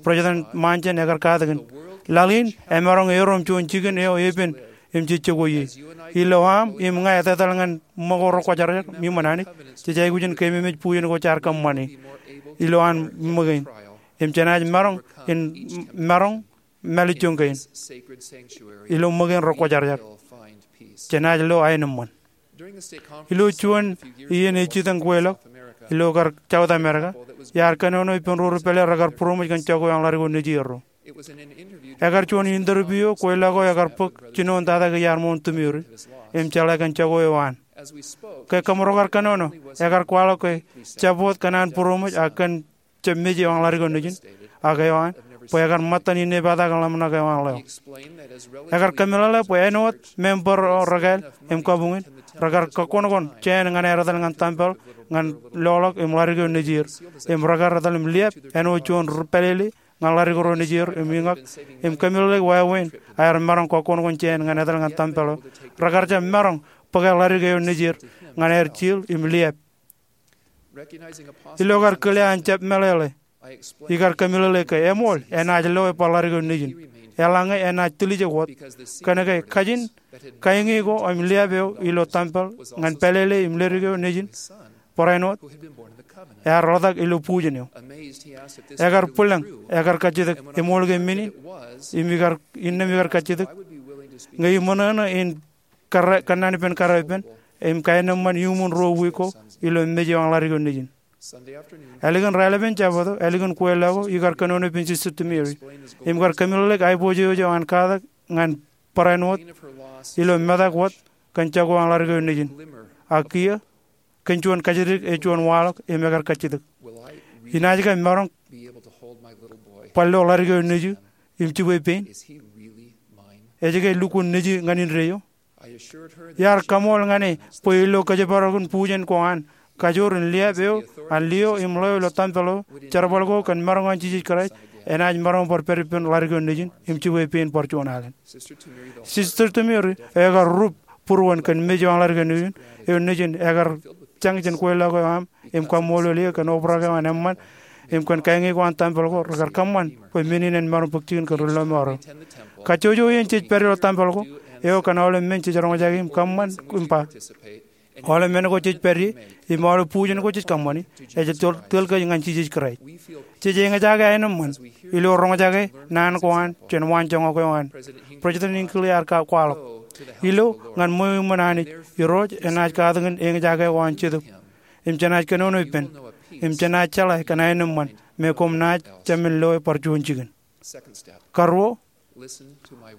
President Monson ekar katakin, laḷ in emaroñ erom juon jikin eo epen im jej jokwe ie. Ilo aṃ im ña etetal ñan ṃōko rekwōjarjar iṃōn Anij, jej aikuj in keememej bujen ko jaar kōṃṃane ilo an ṃōkein, im jenaaj maroñ in, maroñ mālejjoñ kein ilo ṃōkein rekwōjarjar. Jenaaj lo aenōṃṃan. Ilo juon iien ej jitōñ kweilọk ilo kar South America, iar kōnono ippān ruo ri pālle rekar būroṃōj kōn jako eo an ḷadik eo nejierro. Ekar juon interview eo kweilọk eo ekar bōk jinoin tata ke iar ṃool tūmiri im jeḷā kōn jako eo an. Ke kōmro kar kōnono, ekar kwaḷọk ke jab wōt kōn an būroṃōj ak kōn jab mej eo an ḷadik eo nejin, ak eo an, bwe ekar ṃōttan inepata kōḷmānḷọkjeṇ eo an ḷeo. Ekar kōmeḷeḷe bwe āinwōt member ro rekāāl im kabuñ in, rekar kōkkoṇkoṇ jāān ñan aer etal ñan tempel ñan loḷọk im ḷadik eo nejier, im rekar etal im liab āinwōt juon ri pālele ñan ḷadik ro nejier im iñak, im kōmeḷeḷeik wāween aer maroñ kōkkoṇkoṇ jāān ñan etal ñan tempel eo. Rekar jab maroñ bōke ḷadik eo nejier ñan aer jiil im liab. Ilo kar kile an jab meḷeḷe, ikar kōmeḷeḷe ke eṃool enaaj lo e ba ḷadik eo nejin, eḷaññe enaaj tiljek wōt, kōnke kajin kaiñe ko im liab eo ilo tempel ñan pālele im ḷadik eo nejin, barāinwōt, ear ḷotak ilo bujen eo. Ekar bwilōñ, ekar kajjitōk, eṃool ke men in, im ikar, innām ikar kajjitōk ñe iṃōṇōṇō in kar, kōnnaan ippān kar ippān, im kaenōṃṃan iuṃwin ruo wiik ko ilo mej eo an ḷadik eo nejin. Ālikin raelepen Jabōt eo, ālikin kweilọk eo, ikar kōnono ippān Sister Tumiri, im kar kōmeḷeḷeik aiboojoj eo an katak ñan barāinwōt ilo metak wōt kōn jako eo an ḷadik eo nejin. Ak kiiō, kōn juon kajjitōk ej juon waḷọk im ekar kajjitōk. Inaaj ke maroñ bar lo ḷadik eo nejū im jibwe pein? Ej ke lukkuun nejū ñan indeeo? Iar kaṃool ñan e bwe ilo kōjparok in bujen ko an, kajoor in liaab eo an liō im ḷeo ilo tempel eo, jerbal ko kōn maroñ in Jisōs Kraist enaaj maroñ bar pād ippān ḷadik eo nejin im jibwe pein bar juon alen. Sister Tumiri ekar rup būruon kōn mej eo an ḷadik eo nejin, eo nejin ekar jañ jān kweilọk eo aṃ im kaṃṃoolol eō kōn obrak eo an eṃṃan im kōn kañin ko an tempel ko. Rekar kōṃṃan bwe men in en maroñ bōk jikin kōn ri lọmọọr eo. Kajjojo iien jej pād ilo tempel ko, eo kōn aolep men jej roñjake im kōṃṃan im ba, aolep men ko jej pād ie im aolep bujen ko jej kōṃṃani ej tōl, tōl kōj ñan Jisōs Kraist. Jej eñjake aenōṃṃan ilo roñjake naan ko an jān waanjoñak eo an. President Hinckley ear kwaḷọk, ilo ñan ṃweo iṃōn Anij, Irooj enaaj katakin eñjake eo an Jetōb, im jenaaj kōnono ippān, im jenaaj jeḷā kōn aenōṃṃan me koṃ naaj jemān loe bar juon jikin. Karuo,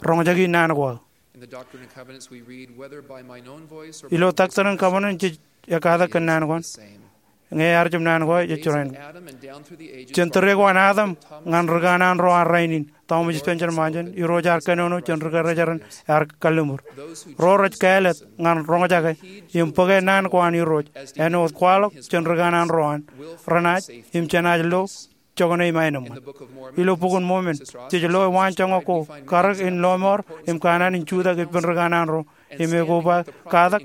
roñjaki naan ko aō. Ilo Doctrine and Covenants jej ekkatak kōn naan ko an, ñe ear jab naan ko aō, ej jerain. Jān tōre ko an Adam ñan ri kanaan ro an rainin, Thomas Spencer Monson, Irooj ear kōnono jān ri kōrā jeran ear kalliṃur. Ro rej kāālōt ñan roñjake im bōke naan ko an Irooj āinwōt kwaḷọk jān ri kanaan ro an, renaaj im jenaaj lo jokane im aenōṃṃan. Ilo Bok in Mormon, jej loe waanjoñak ko karōk in lọmọọr im kanaan in jutak ippān ri kanaan ro im ekoba katak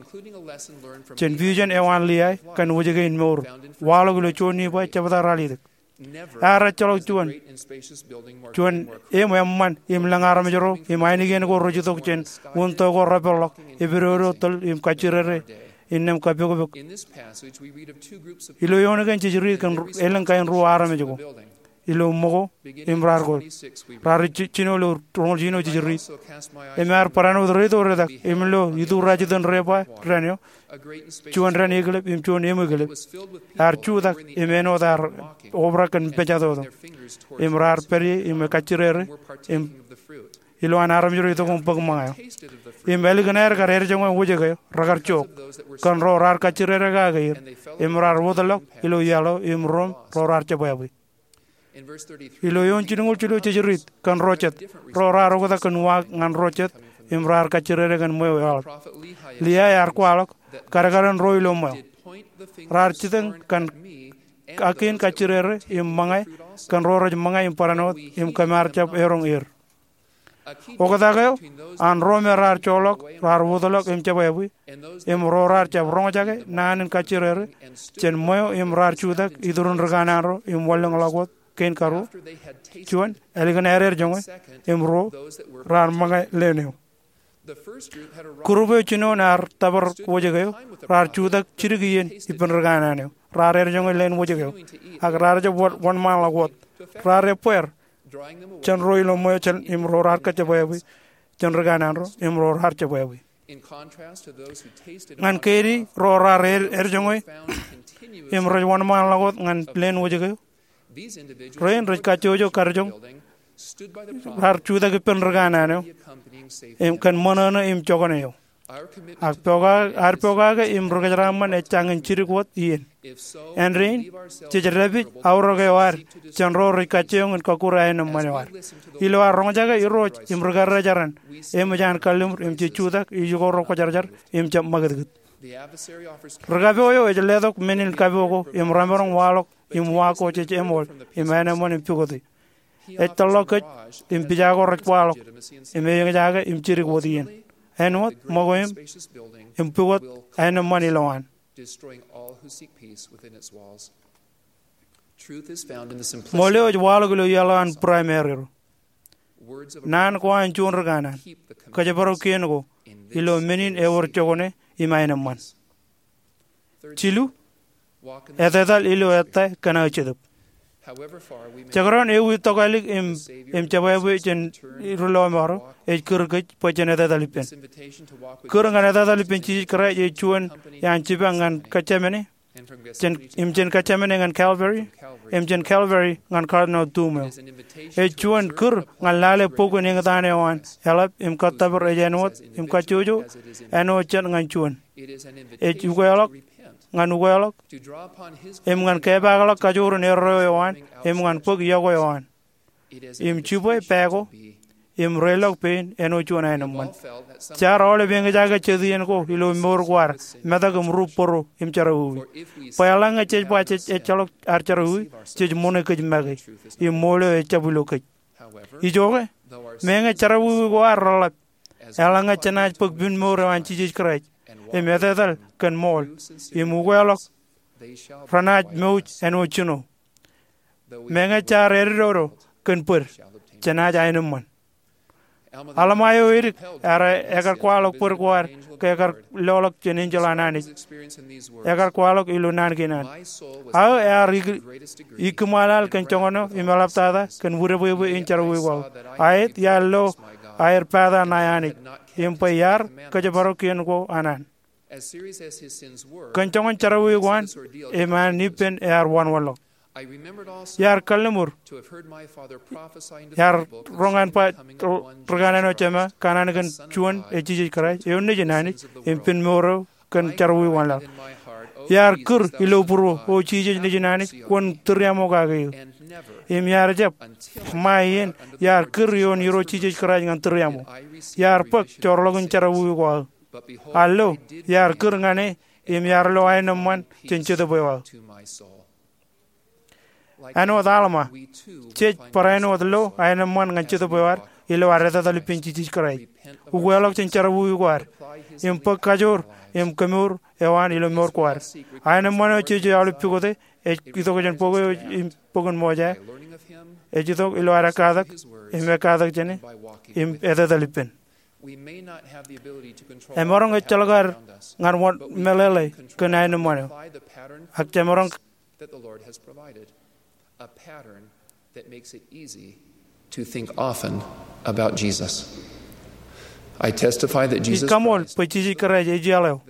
jān vision eo an Liai kōn wōjke in mour, waḷọk ilo juon Nifai jebta ralitōk. Ear ejjeḷọk juon, juon eṃ eṃṃan im lōñ armej ro im ainikien ko rej itok jān unin to ko repeḷḷọk, epidodo tōl im kajjirere innām kapokpok. Ilo eoon kein jej riit kōn elōñ kain ruo armej ko ilo ṃōko im raar ko. Raar ji-, jino ilo roñoul jiljino jej riit. Im ear barāinwōt reitok retak im ilo ituraaj itok debwāāl dān eo, juon dān eklep im juon eṃ eklep, ear jutak im āinwōt ear obrak kōn pejatoto. Im raar pād ie im kajjirere im ilo an armej ro itok im bōk ṃōñā eo. Im ālikin aer kar erjoñe wōjke eo, rekar jook kōn ro raar kajjirere kake er im raar wōtlọk ilo iaḷ eo im ruōṃ ro raar jebwābwe. Ilo eoon jilñuul jilu jej riit kōn ro jet, ro raar oktak kōn uwaak ñan ro jet im raar kajjirere kōn ṃweo eḷap. Liai ear kwaḷọk kadkadin ro ilo ṃweo. Raar jitōñ kōn ak kein kajjirere im ṃōñā kōn ro rej ṃōñā im barāinwōt im kōm ar jab eroñ er. Oktak eo an ro me raar joḷọk, raar wōtlọk im jebwābwe, im ro raar jab roñjake naan in kajjirere jān ṃweo im raar jutak iturin ri kanaan ro im wanlōñḷọk wōt kein karuo. Juon, ālikin aer erjoñe, im ruo, raar ṃōñā leen eo. Group eo jinoin ear tōpar wōjke eo, raar jutak jidik iien ippān ri kanaan eo. Raar erjoñe leen wōjke eo, ak raar jab wōn, wōnṃaanḷọk wōt. Raar ebbeer jān ro ilo ṃweo jān im ro raar kajebwābwe, jān ri kanaan ro im ro raar jebwābwe. Ñan keidi ro raar er, erjoñe im rej wōnṃaanḷọk wōt ñan leen wōjke eo, rein rej kajjojo karijoñ, raar jutak ippān ri kanaan eo im kōn ṃōṇōṇō im jokane eo. Ak pokake, ad pokake im ri kōjeraṃṃan ej jañin jidik wōt iien. Āindein, jej dāpij aorōk eo ad jān ro rej kajjioñ in kọkkure aenōṃṃan eo ad. Ilo ad roñjake Irooj im ri kōrā jeran, eṃōj an kalliṃur im jej jutak ijoko ro kwōjarjar im jab ṃakūtkūt. Ri kapo eo ej letok men in kapo ko im remaroñ waḷọk im uwaak ko jej eṃool im aenōṃṃan im pukot e. Ej tōlḷọk kōj im pija ko rej kwaḷọk im eñjake im jidik wōt iien. Āinwōt ṃōko im, im pukot aenōṃṃan ilowaan. Ṃool eo ej waḷọk ilo iaḷ eo an Primary ro. Naan ko an juon ri kanaan, kōjparok kien ko ilo men in ewōr jokane im aenōṃṃan. Jilu, etetal ilo ettā kōn aō Jetōb. Jekdọọn ewi tokālik im, im jebwābwe jān ri lọmọọr eo, ej kūr kōj bwe jen etetal ippān. Kūr ñan etetal ippān Jisōs Kraist ej juon iaan jipañ ñan Getsemane, jān, im jān Getsemane ñan Calvary, im jān Calvary ñan Cardinal Tumeo. Ej juon kūr ñan lale bok in eñtaan eo an eḷap im kōttōpar ej āinwōt im kajjojo āinwōt jān ñan juon. Ej ukeḷọk ñan ukeḷọk im ñan kepaakḷọk kajoor in erreo eo an im ñan bōk iọkwe eo an. Im jibwe pā ko im reḷọk pein āinwōt juon aenōṃṃan. Jaar aolep eñjake jet iien ko ilo mour ko ad, metak im rup bōro im jerọwiwi. Bwe eḷaññe jej ba jej ejjeḷọk ad jerọwiwi, jej ṃoṇe kōj make, im ṃool eo ejjab ilo kōj. Ijoke, meñe jerọwiwi ko ad reḷḷap, eḷaññe jenaaj bōk pen mour eo an Jisōs Kraist im etetal kōn ṃool im ukeḷọk, renaaj mouj āinwōt jino. Meñe jaar edodo kōn bōd, jenaaj aenōṃṃan. Alma eo edik ear ekar kwaḷọk bōd ko ad ke ekar loḷọk jān enjeḷ an Anij. Ekar kwaḷọk ilo naan kein an, aō ear ikōṃṃanḷọk kōn joñan eo im eḷaptata kōn widewewe in jerọwiwi ko aō. Aet iar lo aer pata ṇae Anij im bwe iar kōjparok kien ko an an. Kōn joñan jerọwiwi ko an, im an ippān ear wanwanḷọk. Iar kalliṃur, iar roñ an ba ri kanaan eo jema kanaan kōn juon ej Jisōs Kraist eo nejin Anij im pen mour eo kōn jerọwiwi ko an laḷ. Iar kūr ilo būruō, O Jisōs nejin Anij, kwōn tūriaṃo kake eō. Im iar jab ṃae iien iar kūr ioon Irooj Jisōs Kraist ñan tūriaṃo. Iar bōk joorḷọk in jerọwiwi ko aō. Ak lo, iar kūr ñan e im iar lo aenōṃṃan jān Jetōb eo aō. Āinwōt Alma, jej barāinwōt lo aenōṃṃan ñan Jetōb eo ad ilo ad etetal ippān Jisōs Kraist, ukeḷọk jān jerọwiwi ko ad, im bōk kajoor im kemour eo an ilo mour ko ad. Aenōṃṃan eo jej aolep pukote ej itok jān bok eo im bok in Mosea, ej itok ilo ad ekkatak im ekkatak jāne im etetal ippān. Emaroñ ejjeḷọk ad ñan wōnṃaanḷọk kōn aenōṃṃan eo, ak jemaroñ that the Lord has provided, a pattern that makes it easy to think often about Jesus. I testify that Jesus Ij kaṃool Christ bwe Jisōs Kraist ej iaḷ eo,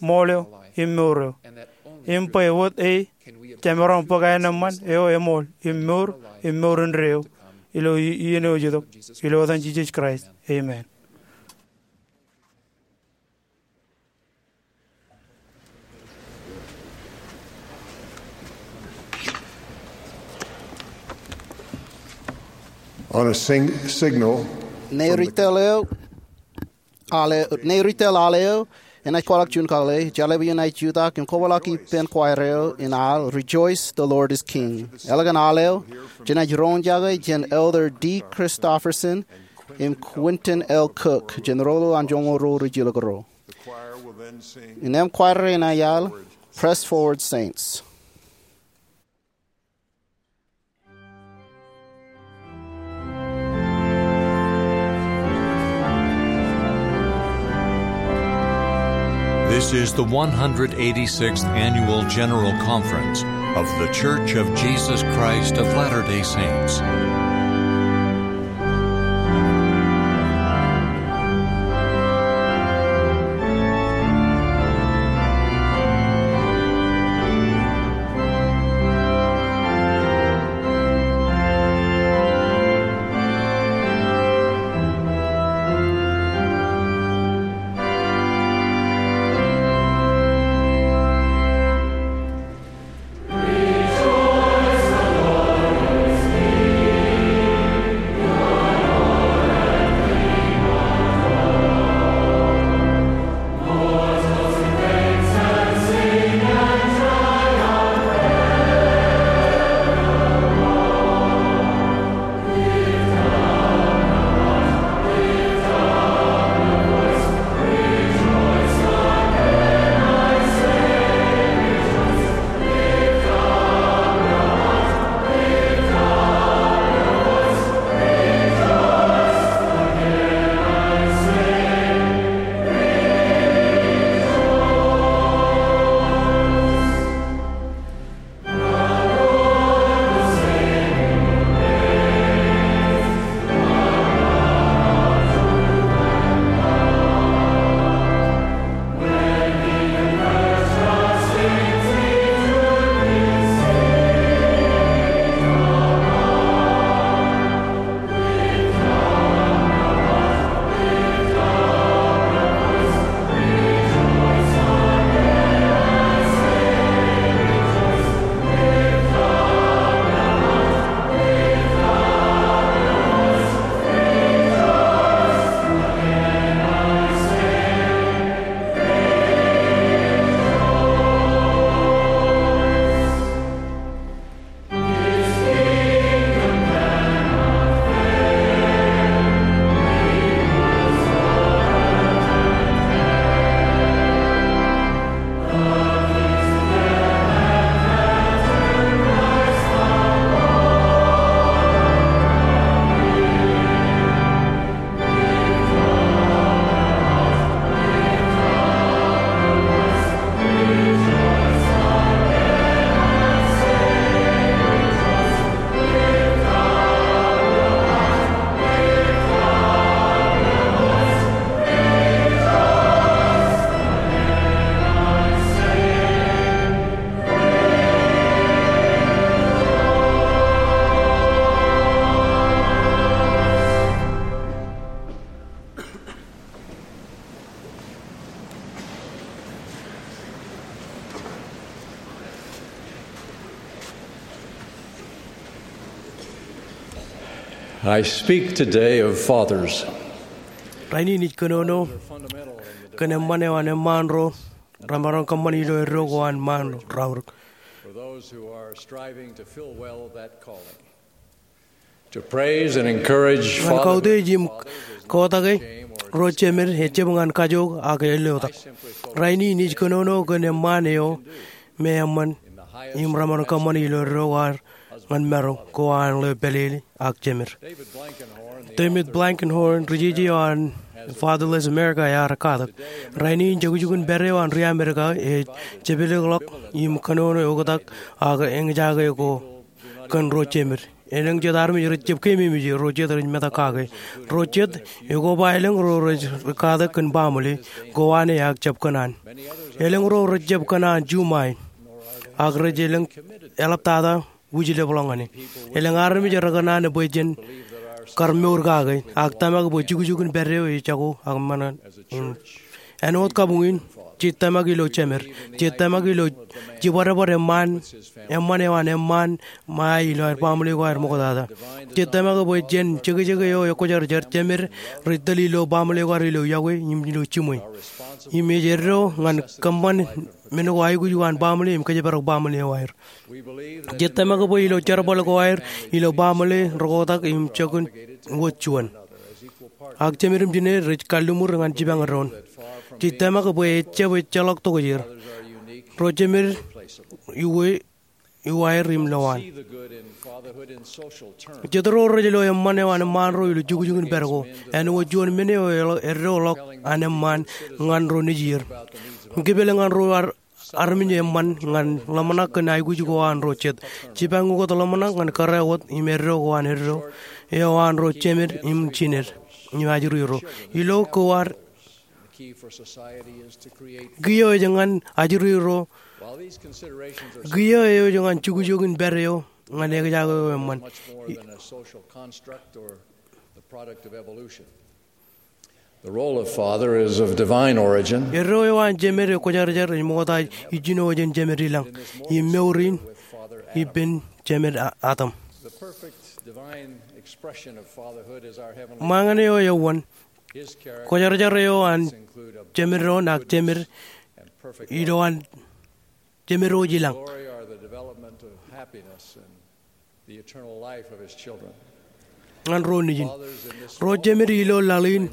ṃool eo, im mour eo, im bwe wōt e jemaroñ bōk aenōṃṃan eo eṃool im mour im mour indeeo ilo i- iien eo ej itok, ilo etan Jisōs Kraist, amen. On a sing- signal, ne retail eo, ale, ne retail ale eo, enaaj kwaḷọk juon kakōḷḷe, ejjeḷọk iien aō jutak im kwōpojak ippān choir eo in al, Rejoice, the Lord is King. Eḷap an al eo, jenaaj roñjake jān Elder D. Christofferson im Quentin L. Cook, jān rōḷḷap an joñoul ruo rijilōk ro. Innām choir rein enaaj al Press Forward Saints. This is the one hundred eighty-sixth Annual General Conference of The Church of Jesus Christ of Latter-day Saints. I speak today of fathers. Rainin ij kōnono kōn eṃṃan eo an eṃṃaan ro remaroñ kōṃṃani ilo eddo ko an ṃaan raorōk. For those who are striving to fill well that calling. To praise and encourage ñan kautiej im kautake ro jemed ejab ñan kajook ak elōtak. Rainin ij kōnono kōn eṃṃaan eo me eṃṃan im remaroñ kōṃṃani ilo eddo ko ad ñan maroñ ko an ḷeo pālele ak jemed. David Blankenhorn, ri-jeje eo an Fatherless America ear katak. Rainin jukjukin pād eo an ri-Amerika ej jepelōkḷọk im kōnono oktak ak eñjake ko kōn ro jemed. Elōñ jet armej rej jab keememej, ro jet rej metak kake. Ro jet ekoba elōñ ro rej katak kōn baaṃle ko an e ak jab kōṇaan. Elōñ ro rej jab kōṇaan juṃae ak rej elōñ eḷaptata wūjlepḷọk ñan e. Elōñ armej rekōṇaan bwe jen kar mour kake ak tōmak bwe jukjukin pād eo ejako ak ṃōṇōṇō in. Āinwōt kabuñ in, jej tōmak ilo jemed. Jej tōmak ilo jibadbad eṃṃaan, eṃṃan eo an eṃṃaan ṃae ilo aer baaṃle ko aer ṃoktata. Jej tōmak bwe jān jekjek eo ekwōjarjar jemed rej tōl ilo baaṃle ko aer ilo iọkwe im ilo jiṃwe. Im ej eddo ñan kōṃṃan men ko aikuj ko an baaṃle im kōjparok baaṃle eo aer. Jej tōmak bwe ilo jerbal ko aer ilo baaṃle rekotak im jokwe wōt juon. Ak jemed im jined rej kalliṃur ñan jipañ doon. Jej tōmak bwe ejab ejjeḷọk tokjāer. Ro jemed iwe, iwaer im lowaan. Jet ro rej lo eṃṃan eo an eṃṃaan ro ilo jukjukin pād ko. Āinwōt juon men eo eddoḷọk an eṃṃaan ñan ro nejier. Kipel ñan ro ar armej eṃṃan ñan ḷōmṇak kōn aikuj ko an ro jet. Jipañ ukōt ḷōmṇak ñan kōrā wōt im eddo ko an eddo eo an ro jemed im jined im ajri ro. Ilo ko ad kiiō ej ñan ajri ro. Kiiō eo ej ñan jukjukin pād eo ñan eñjake eo eṃṃan. The role of father is of divine origin. Eddo eo an jemed ekwōjarjar ej ṃokta ijjino jān jemed ilañ. Im mour in ippān jemed a-, Adam. The perfect divine expression of fatherhood is our heavenly Ṃōñā eo eoon. Kwōjarjar eo an jemed doon ak jemed ilo an jemed eo ej ilañ. Glory are the development of happiness and the eternal life of his children. Ñan ro nejin. Ro jemed ilo laḷ in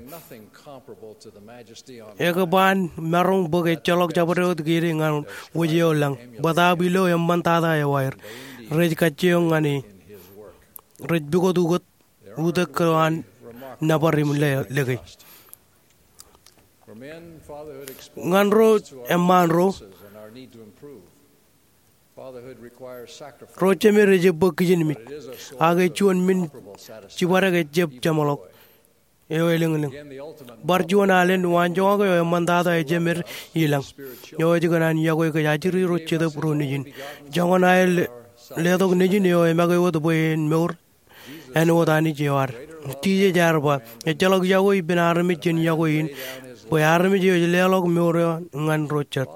ekōba an maroñ bōk ejjeḷọk jabdewōt kōn e ñan wōj eo lañ. Bōtaab ilo eṃṃantata eo aer. Rej kajjioñ ñan e. Rej pukot ukōt utiej ko an nōbar im le-, leke. Ñan ro eṃṃaan ro, ro jemed ej bōk kijenmej, ak ej juon men jibadek ejjab jeṃḷọk eo elōñlōñ. Bar juon alen waanjoñak eo eṃṃantata eo jemed ilañ, eo ej kōṇaan iọkwe kōj ajri ro jetōb ro nejin. Joñan aer le-, letok nejin eo emake wōt bwe en mour āinwōt Anij eo ad. Jisōs ear ba, ejjeḷọk iọkwe ippān armej jān iọkwe in, bwe armej eo ej leḷọk mour eo ñan ro jet.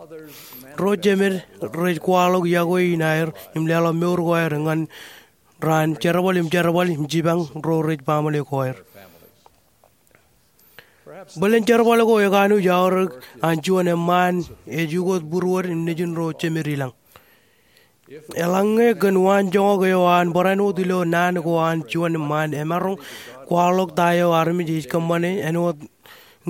Ro jemed rej kwaḷọk iọkwe in aer im leḷọk mour ko aer ñan raan jerbal im jerbal im jipañ ro rej baaṃle ko aer. Bōlen jerbal ko ekanuj aorōk an juon eṃṃaan ej ukōt būruod im nejin ro jemed ilañ. Eḷaññe kōn waanjoñak eo an barāinwōt ilo naan ko an juon eṃṃaan emaroñ kwaḷọk ta eo armej ej kōṃṃane āinwōt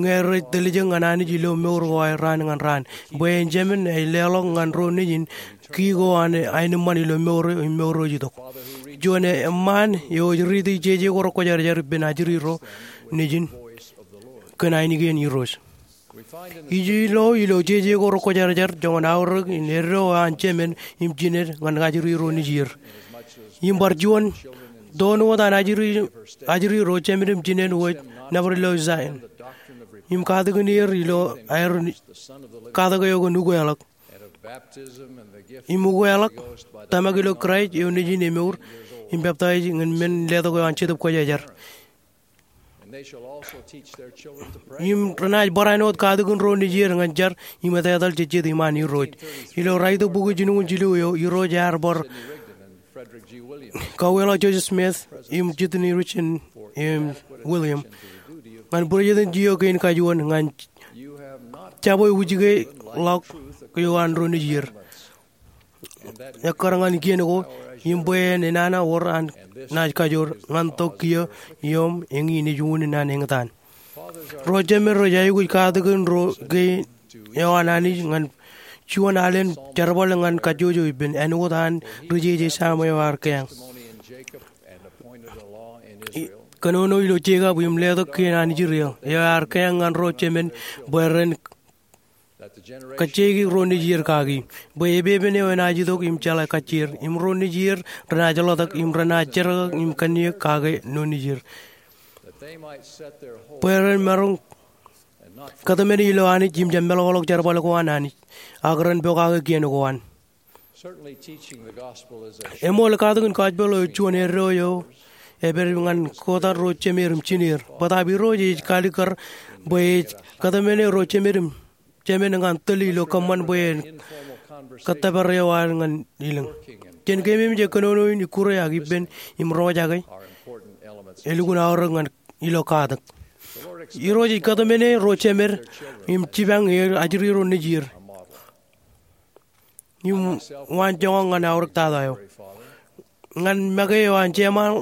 ñe rej tōl ijin ñan Anij ilo mour ko aer raan ñan raan. Bwe en jemān ej leḷọk ñan ro nejin ki ko an aenōṃṃan ilo mour eo im mour eo ej itok. Juon eṃṃaan eo ej riiti jeje ko rekwōjarjar ippān ajri ro nejin kōn ainikien Irooj. Ij lo ilo jeje ko rekwōjarjar joñan aorōk in eddo an jemed im jined ñan ajri ro nejier. Im bar juon, doon wōt an ajri, ajri ro jemed im jined wōj nōbar ilo Zion. Im katakin er ilo aer katak eo kōn ukeḷọk. Im ukeḷọk, tōmak ilo Kraist eo nejin emour, im peptaij ñan men letok eo an Jetōb Kwōjarjar. Im renaaj barāinwōt katakin ro nejier ñan jar im etetal jejjet iṃaan Irooj. Ilo raitōk bukwi jilñuul jilu eo, Irooj ear bar kauweḷọk Joseph Smith im Sidney Rigdon im William ñan būrejetan jiyo kein kajuon ñan jabwe wūjke ḷọk eo an ro nejier ekkar ñan kien ko im bwe en enana wōr an naaj kajoor ñan tok kiiō im eñin ej unin an eñtaan. Ro jemed rej aikuj katakin ro kein eo an Anij ñan juon alen jerbal ñan kajjojo ippān āinwōt an ri-jeje Sam eo ear keeañ. Kōnono ilo Jekob im letok kien an Israel eo ear keeañ ñan ro jemen bwe ren kajjeiki ro nejier kaki, bwe epepen eo enaaj itok im jeḷā kajjier, im ro nejier renaaj ḷotak im renaaj jerkakak im kanniōk kake ro nejier. Bwe ren maroñ kōtmāne ilo Anij im jab meḷọkḷọk jerbal ko an Anij, ak ren pokake kien ko an. Eṃool, katakin gospel eo ej juon eddo eo epād ñan kotak ro jemed im jineer. Bōtaab Irooj ej kalikkar bwe ej kōtmāne ro jemed im jemen ñan tōl ilo kōṃṃan bwe en kōttōpar eo an ñan ilōñ. Jān keememej kōnono in ikkure ak ippān im roñjake elukkuun aorōk ñan ilo katak. Irooj ej kōtmāne ro jemed im jipañ er ajri ro nejier im waanjoñak ñan aorōktata eo. Ñan make eo an jema,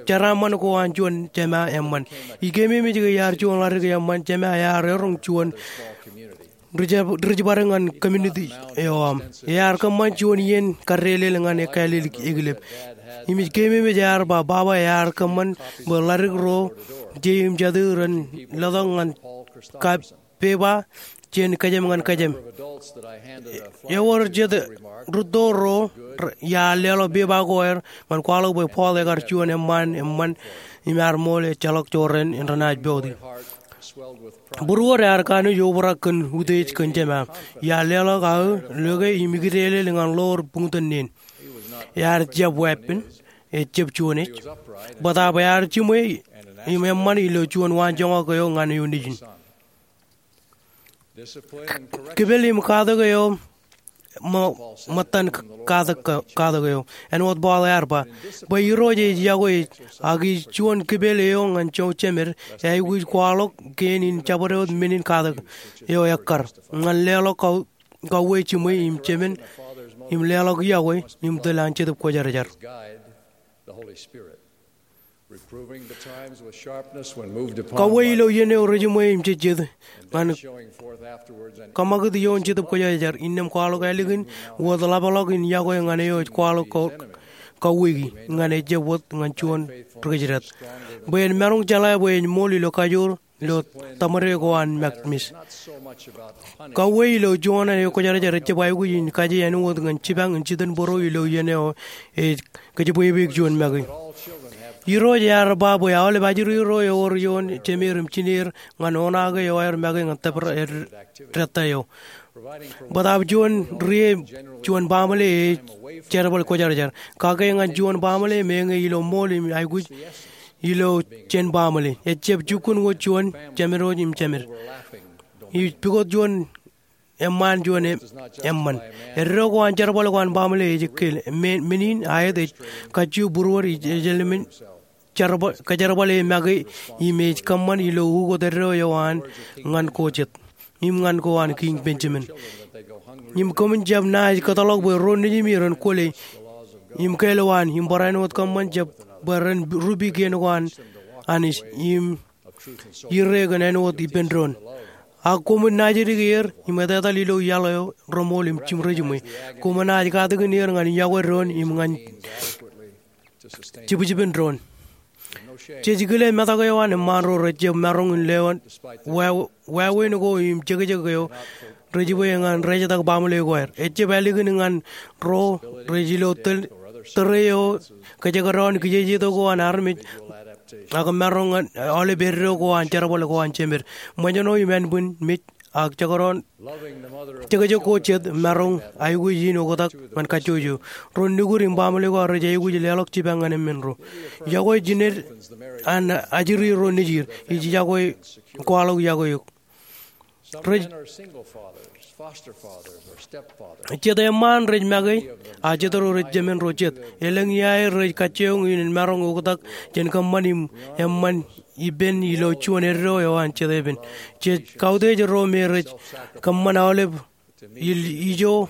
jeraaṃṃan ko an juon jema eṃṃan. Ij keememej ke iar juon ḷadik eṃṃan, jema ear eroñ juon rijibadek ñan community eo aṃ. Ear kōṃṃan juon iien kadeḷeḷ ñan kāālōt ekilep. Im ij keememej ear ba baba ear kōṃṃan bwe ḷadik ro je im jatū ren letok ñan kab pepa jān kōjām ñan kōjām. Ewōr jet rūtto ro iar leḷọk pepa ko aer ñan kwaḷọk bwe Paul ekar juon eṃṃaan eṃṃan im ear ṃool ejjeḷọk jorrāān in renaaj pooti. Būruod ear kanooj obrak kōn utiej kōn jema. Iar leḷọk aō loe im ikdeḷeḷ ñan ḷoor buñtōn neen. Ear jab weeppān, ejab juon ej. Bōtaab ear jiṃwe im eṃṃan ilo juon waanjoñak eo ñan eo nejin. Kipel im katak eo ṃōttan katak eo. Āinwōt Paul ear ba, bwe Irooj ej yokwe ej, ak ij juon kipel eo ñan ro jemed, eaikuj kwaḷọk kein in jabdewōt men in katak eo ekkar ñan leḷọk kauwe jiṃwe im jemen im leḷọk yokwe im tōl an Jetōb Kwōjarjar. Kauwe ilo iien eo rejiṃwe im jejjet ñan kōṃakūt ioon Jetōb Kwōjarjar innām kwaḷọk ālikin wōt ḷapḷọk in yokwe ñan eo ej kwaḷọk kauweiki ñan ejab wōt ñan juon ri-kōjdat bwe en maroñ jeḷā bwe en ṃool ilo kajoor ilo tōṃare ko an makmej. Kauwe ilo juon eo Kwōjarjar ejab aikuj in kaje āinwōt ñan jipañ in jitōnbōro ilo iien eo ej kōjepwebweik juon make. Irooj ear ba bwe aolep ajri ro ewōr ioon jemed im jineer ñan oṇaake eo aer make ñan tōpar eo dātta eo. Bōtaab juon rie juon baaṃle ej jerbal kwōjarjar. Kake ñan juon baaṃle meñe ilo ṃool im aikuj ilo jān baaṃle. Ejab jukkuun wōt juon jemed im jemed. Ij pukot juon eṃṃaan juon eṃṃan. Eddo ko an jerbal ko an baaṃle ej ekkeil. Men in aet ej kajju būruod ij ejeḷ men kōjerbale make im ej kōṃṃan ilo ukot eddo eo an ñan ko jet im ñan ko an Kiiñ Benjamin. Im koṃwin jab naaj kōtḷọk bwe ro nejimi ren kwōle im kālwaan im barāinwōt kōṃṃan jab bwe ren rupi kien ko an Anij im ire kōn āinwōt ippān doon. Ak koṃwin naajdik er im etetal ilo iaḷ eo reṃool im jiṃ rejiṃwe. Koṃwin naaj katakin er ñan yokwe doon im ñan jibjibin doon. Jej kile metak eo an eṃṃaan ro rejjab maroñ in lewōj wāween ko im jekjek eo rej jibwe ñan rejetak baaṃle ko aer. Ejab ālikin ñan ro rej ilo tōre eo kōjekdọọn kijejeto ko an armej ak maroñ ñan aolep eddo ko an jerbal ko an jemed. Ṃōjṇọ im ānbwin mej ak jekdọọn jekjek ko jet maroñ aikuj in oktak ñan kajjojo. Ro nukud im baaṃle ko aer rej aikuj leḷọk jipañ ñan emān ro. Yokwe jined an ajri ro nejid. Ij yokwe kwaḷọk yokwe eok. Rej jet eṃṃaan rej make, a jet ro rej jemān ro jet. Elōñ iaer rej kajjioñ in maroñ oktak jān kōṃṃan im eṃṃan ippān ilo juon eddo eo an jet epen. Jej kautiej ro me rej kōṃṃan aolep ijo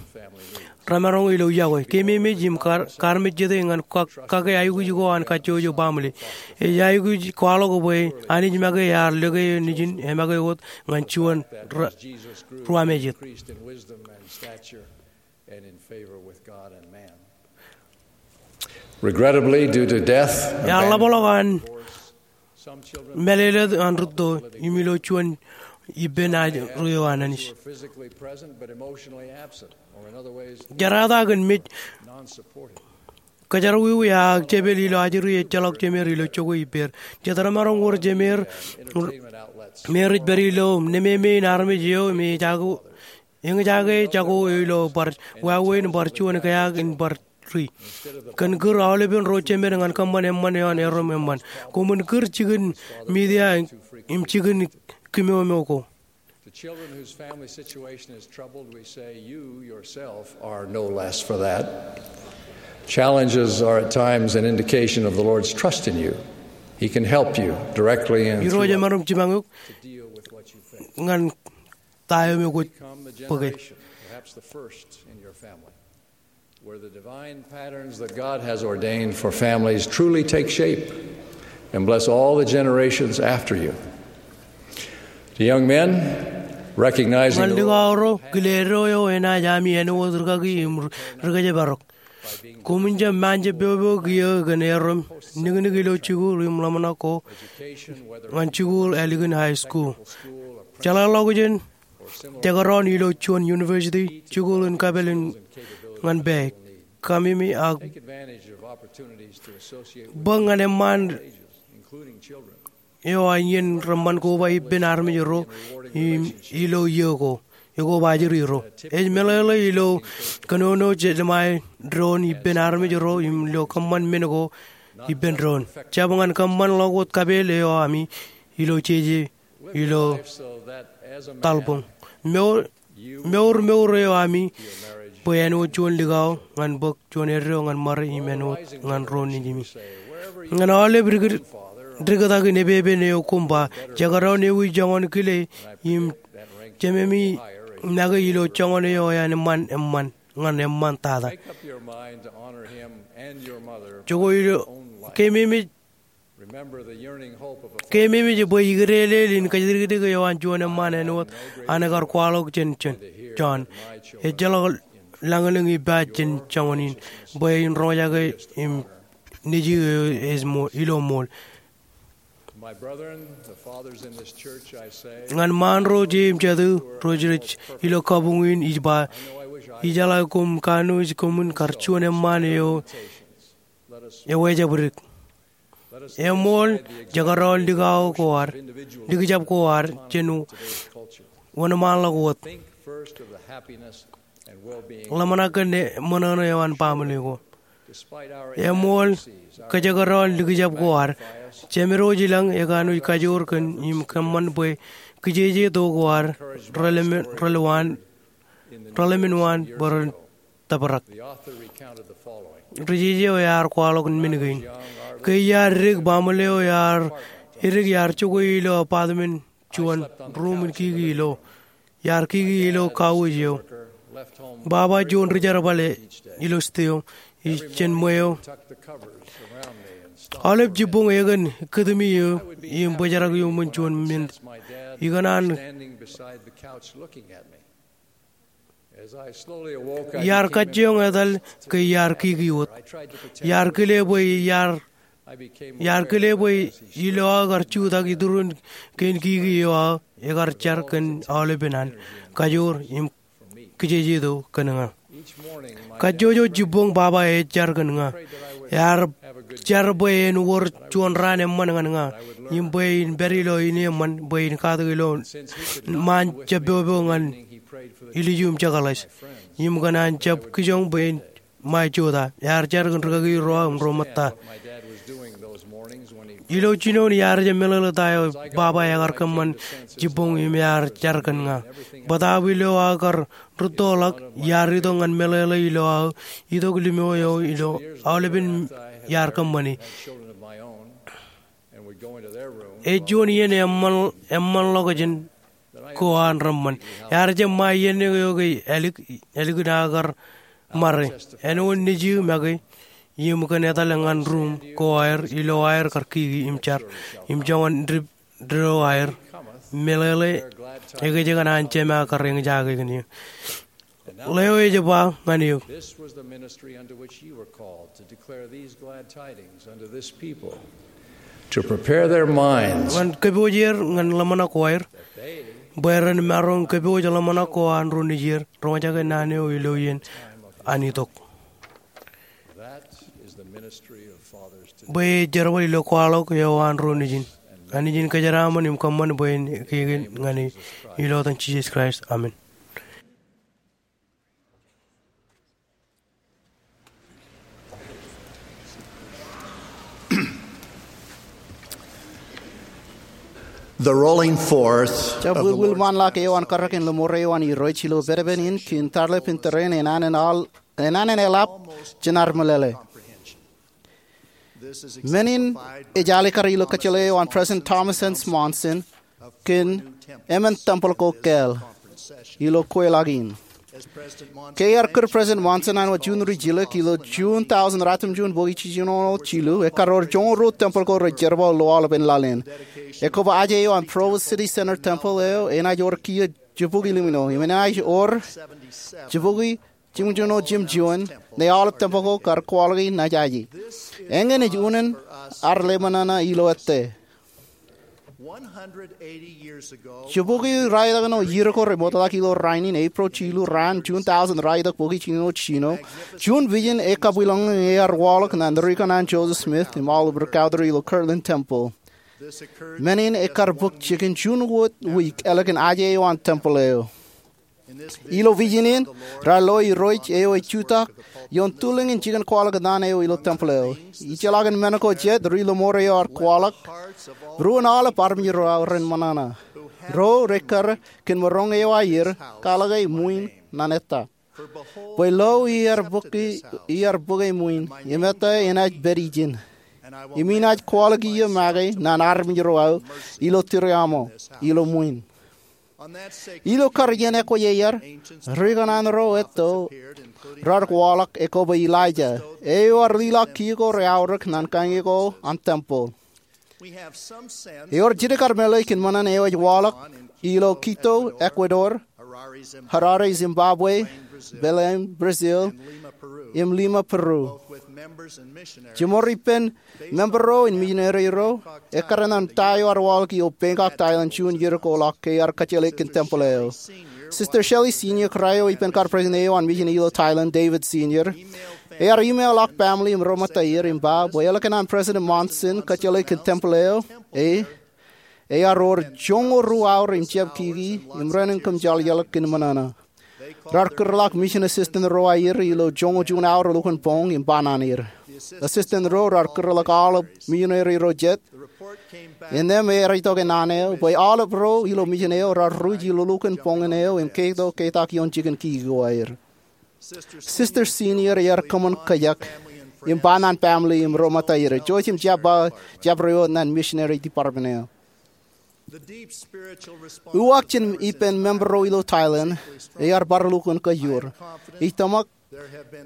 remaroñ ilo yokwe. Keememej im kar-, karmejjete ñan kake aikuj ko an kajjojo baaṃle. Ej aikuj kwaḷọk bwe Anij make ear lōke eo nejin emake wōt ñan juon ruwamāejet. Regrettably, due to death, ear ḷapḷọk an mālōtlōt an rūtto im ilo juon ippān ro eo an Anij. Jerata kōn mej kōjerawiwi ak jepel ilo ajri ejjeḷọk jemeer ilo jokwe ippāer. Jet remaroñ wōr jemeer me rej pād ilo nememei in armej eo me ejako, eñjake jako eo ilo bar wāween bar juon keak in bar ri. Kōn kūr aolepen ro jemed ñan kōṃṃan eṃṃan eo an erom eṃṃan. Koṃwin kūr jikin media im jikin kimomo ko. To children whose family situation is troubled, we say, "You yourself are no less for that." Challenges are at times an indication of the Lord's trust in you. He can help you directly and Irooj emaroñ jipañ eok to deal with what you face. Ñan ta eo me kwōj bōke. Become the generation, perhaps the first in your family, where the divine patterns that God has ordained for families truly take shape and bless all the generations after you. To young men, recognizing Ñan likao ro, kile eddo eo enaaj ami āinwōt rūkaki im rūkōjparok. Koṃwin jab ṃaan jab popo kiiō kōn erom niknik ilo jikuuḷ im ḷōmṇak ko ñan jikuuḷ ālikin high school. Jeḷāḷọkjeṇ jekdọọn ilo juon university, jikuuḷ in kapeel in ñan pā, kamimi ak bōk ñan eṃṃaan eo an iien reṃṃan koba ippān armej ro im ilo iiō ko ekoba ajri ro. Ej meḷeḷe ilo kōnono jeḷā doon ippān armej ro im ilo kōṃṃan men ko ippān doon. Jab ñan kōṃṃanḷọk wōt kapeel eo ami ilo jeje ilo taḷboñ. Mour, mour eo ami bwe āinwōt juon likao ñan bōk juon eddo ñan ṃare im āinwōt ñan ro nejimi. Ñan aolep dikōtak in epepen eo koṃ ba, jekdọọn ewi joñan kile im jememi make ilo joñan eo eṃṃan eṃṃan ñan eṃṃan tata. Jokwe ilo keememej Keememej bwe ikdeelel in kōjdikdik eo an juon eṃṃaan āinwōt an ekar kwaḷọk jān John. Ejjeḷọk lañlōñ ippa jān joñan in bwe in roñjake im nejū eo ej ilo ṃool. Ñan ṃaan ro je im jatū ro rej ilo kabuñ in ij ba, ijeḷā koṃ kanooj koṃwin kar juon eṃṃaan eo ewōj jabdewōt. Eṃool, jekdọọn likao ko ad, likjab ko ad jān wōnṃaanḷọk wōt. Ḷōmṇak kōn ṃōṇōṇō eo an baaṃle ko. Eṃool, kōjekdọọn likjab ko ad, Jemedwōj i lañ ekanooj kajoor kōn im kōṃṃan bwe kijeje tok ko ad relōmin waan bwe ren tōprak. Ri jeje eo ear kwaḷọk men kein. Ke iar dik, baaṃle eo ear edik iar jokwe ilo apartment juon, ruuṃ in kiki ilo. Iar kiki ilo kauj eo. Baba juon ri jerbal ilo steo, ij jān ṃweo. Aolep jibboñ ekōn kūtumi eō im bōjrak iuṃwin juon men. Ikōṇaan Iar kajjioñ etal ke iar kiki wōt. Iar kile bwe iar, iar kile bwe ilo aō kar jutak iturin kein kiki eo aō ekar jar kōn aolepen an kajoor im kijeje tok kōn ña. Kajjojo jibboñ baba ej jar kōn ña. Ear jar bwe en wōr juon raan eṃṃan ñan ña im bwe in pād ilo ineeṃṃan bwe in katak ilo ṃaan jab popo ñan ilju im jekḷaj im kōn an jab kijoñ bwe in ṃae jota. Ear jar kōn rikaki ro aō im ro ṃōtta. Ilo jinoin iar jab meḷeḷe ta eo baba ekar kōṃṃan jibboñ im ear jar kōn ña. Bōtab ilo aō kar rūttoḷọk, iar itok ñan meḷeḷe ilo aō itok limo eo ilo aolepen iar kōṃṃani. Ej juon iien eṃṃan, eṃṃanḷọkjeṇ ko an reṃṃan. Ear jab ṃa iien eo ke ālik, ālikin aō kar ṃare. Āinwōt nejū make im kōn etal ñan ruuṃ ko aer ilo aer kar kiki im jar im joñan dip dedo aer. Meḷeḷe ekōjkan an Jema kar eñjake kōn eō. Ḷeo ej ba ñan eō. This was the ministry unto which you were called, to declare these glad tidings unto this people, to prepare their minds. Ñan kōpooj er ñan ḷōmṇak ko aer, bwe ren maroñ kōpooj ḷōmṇak ko an ro nejier, roñjake naan eo ilo iien an itok. That is the ministry of fathers today. Bwe ej jerbal ilo kwaḷọk eo an ro nejin. Anij en kōjeraaṃṃan im kōṃṃan bwe en kiki ñan eō. Ilo etan Jisōs Kraist, amen. The rolling forth of the Lord's Jabwilwil ṃaanḷọk eo an karreoik in ḷōṃaro eo an Irooj ilo pedepen in kōn tarlepen tōre in enañin eḷap jān ad meḷeḷe. Men in ej alikkar ilo kōjjeḷā eo an President Thomas S. Monson kōn emān tempel ko kāāl ilo kweilọk in. Ke ear kūr President Monson āinwōt juon ri jilōk ilo June thousand ratimjuon bōki jiljino jilu, ekkar wōr joñoul ruo tempel ko rej jerbal ilo aolepen laḷ in. Ekwe ba ajej eo an Provo City Center Temple eo enaaj wōr kiiō jibukwi limno im enaaj wōr jibukwi jimjuon jimjuon, ñe aolep tempel ko kar kwaḷọki naaj aje. Eñin ej unin ad ḷōmṇak ilo ettā. Jibukwi raelōñ eo iiō ko rej ṃoktata ilo rainin, April jilu raan, June thousand raelōñ bōki jiljino jiljino, juon vision ekabwilōñlōñ ear waḷọk ñan rikōṇaan Joseph Smith im Oliver Cowdery ilo Kirtland Temple. Men in ekkar bōk jikin juon wōt wiik ālikin ajej eo an tempel eo. Ilo vision in, raar lo Irooj eo ej jutak ioon tulōñ in jikin kwaḷọk naan eo ilo tempel eo. Ijellọkin men ko jet, ri ḷōṃaro eo ear kwaḷọk, ruo in aolep armej ro aō ren ṃōṇōṇō. Ro rej kar kōn maroñ eo aer kwaḷọke ṃwiin ñan ettā. Bwe lo iar bōke, iar bōke ṃwiin, im ettā enaaj pād ijin. Im inaaj kwaḷọk iiō make ñan armej ro aō ilo tūriaṃo, ilo ṃwiin. Ilo kar iien eo ear, rikōṇaan ro etto raar kwaḷọk ekwe ba Elijah, eo ear liḷọk kiiō ko reaorōk ñan kañe ko an tempel. Ewōr jidik kar meḷeḷe kōn ṃōṇōṇō eo ej waḷọk ilo Quito, Ecuador, Harare, Zimbabwe, Belém, Brazil, im Lima, Peru. Jimor ippān member ro im misineri ro, ekkar ñan ta eo ear waḷọk ilo Bangkok, Thailand, juon iiō ko ḷọk ke ear kōjjeḷā kōn tempel eo. Sister Shelley Senior, kōrā eo ippān kar president eo an misin ilo Thailand, David Senior, ear email ḷọk family im ro ṃōtta er im ba bwe ālikin an President Monson kōjjeḷā kōn tempel eo, e, ear wōr joñoul ruo aor im jab kiki, im renaaj kōmjeḷjeḷ kōn ṃōṇōṇō. Raar kūrḷọk mission assistant ro aer ilo joñoul juon aor lukkuun boñ im ba naan er. Assistant ro raar kūrḷọk aolep misineri ro jet. Innām ear itok naan eo bwe aolep ro ilo mission eo raar ruj ilo lukkuun boñ in eo im keto ketak ioon jikin kiki ko aer. Sister Senior ear kōṃṃan kōjak im ba naan family im ro ṃōtta er. Jouj im jab ba, jab ri wōt ñan missionary department eo. Uwaak jān ippān member ro ilo Thailand ear bar lukkuun kōjro. Ij tōmak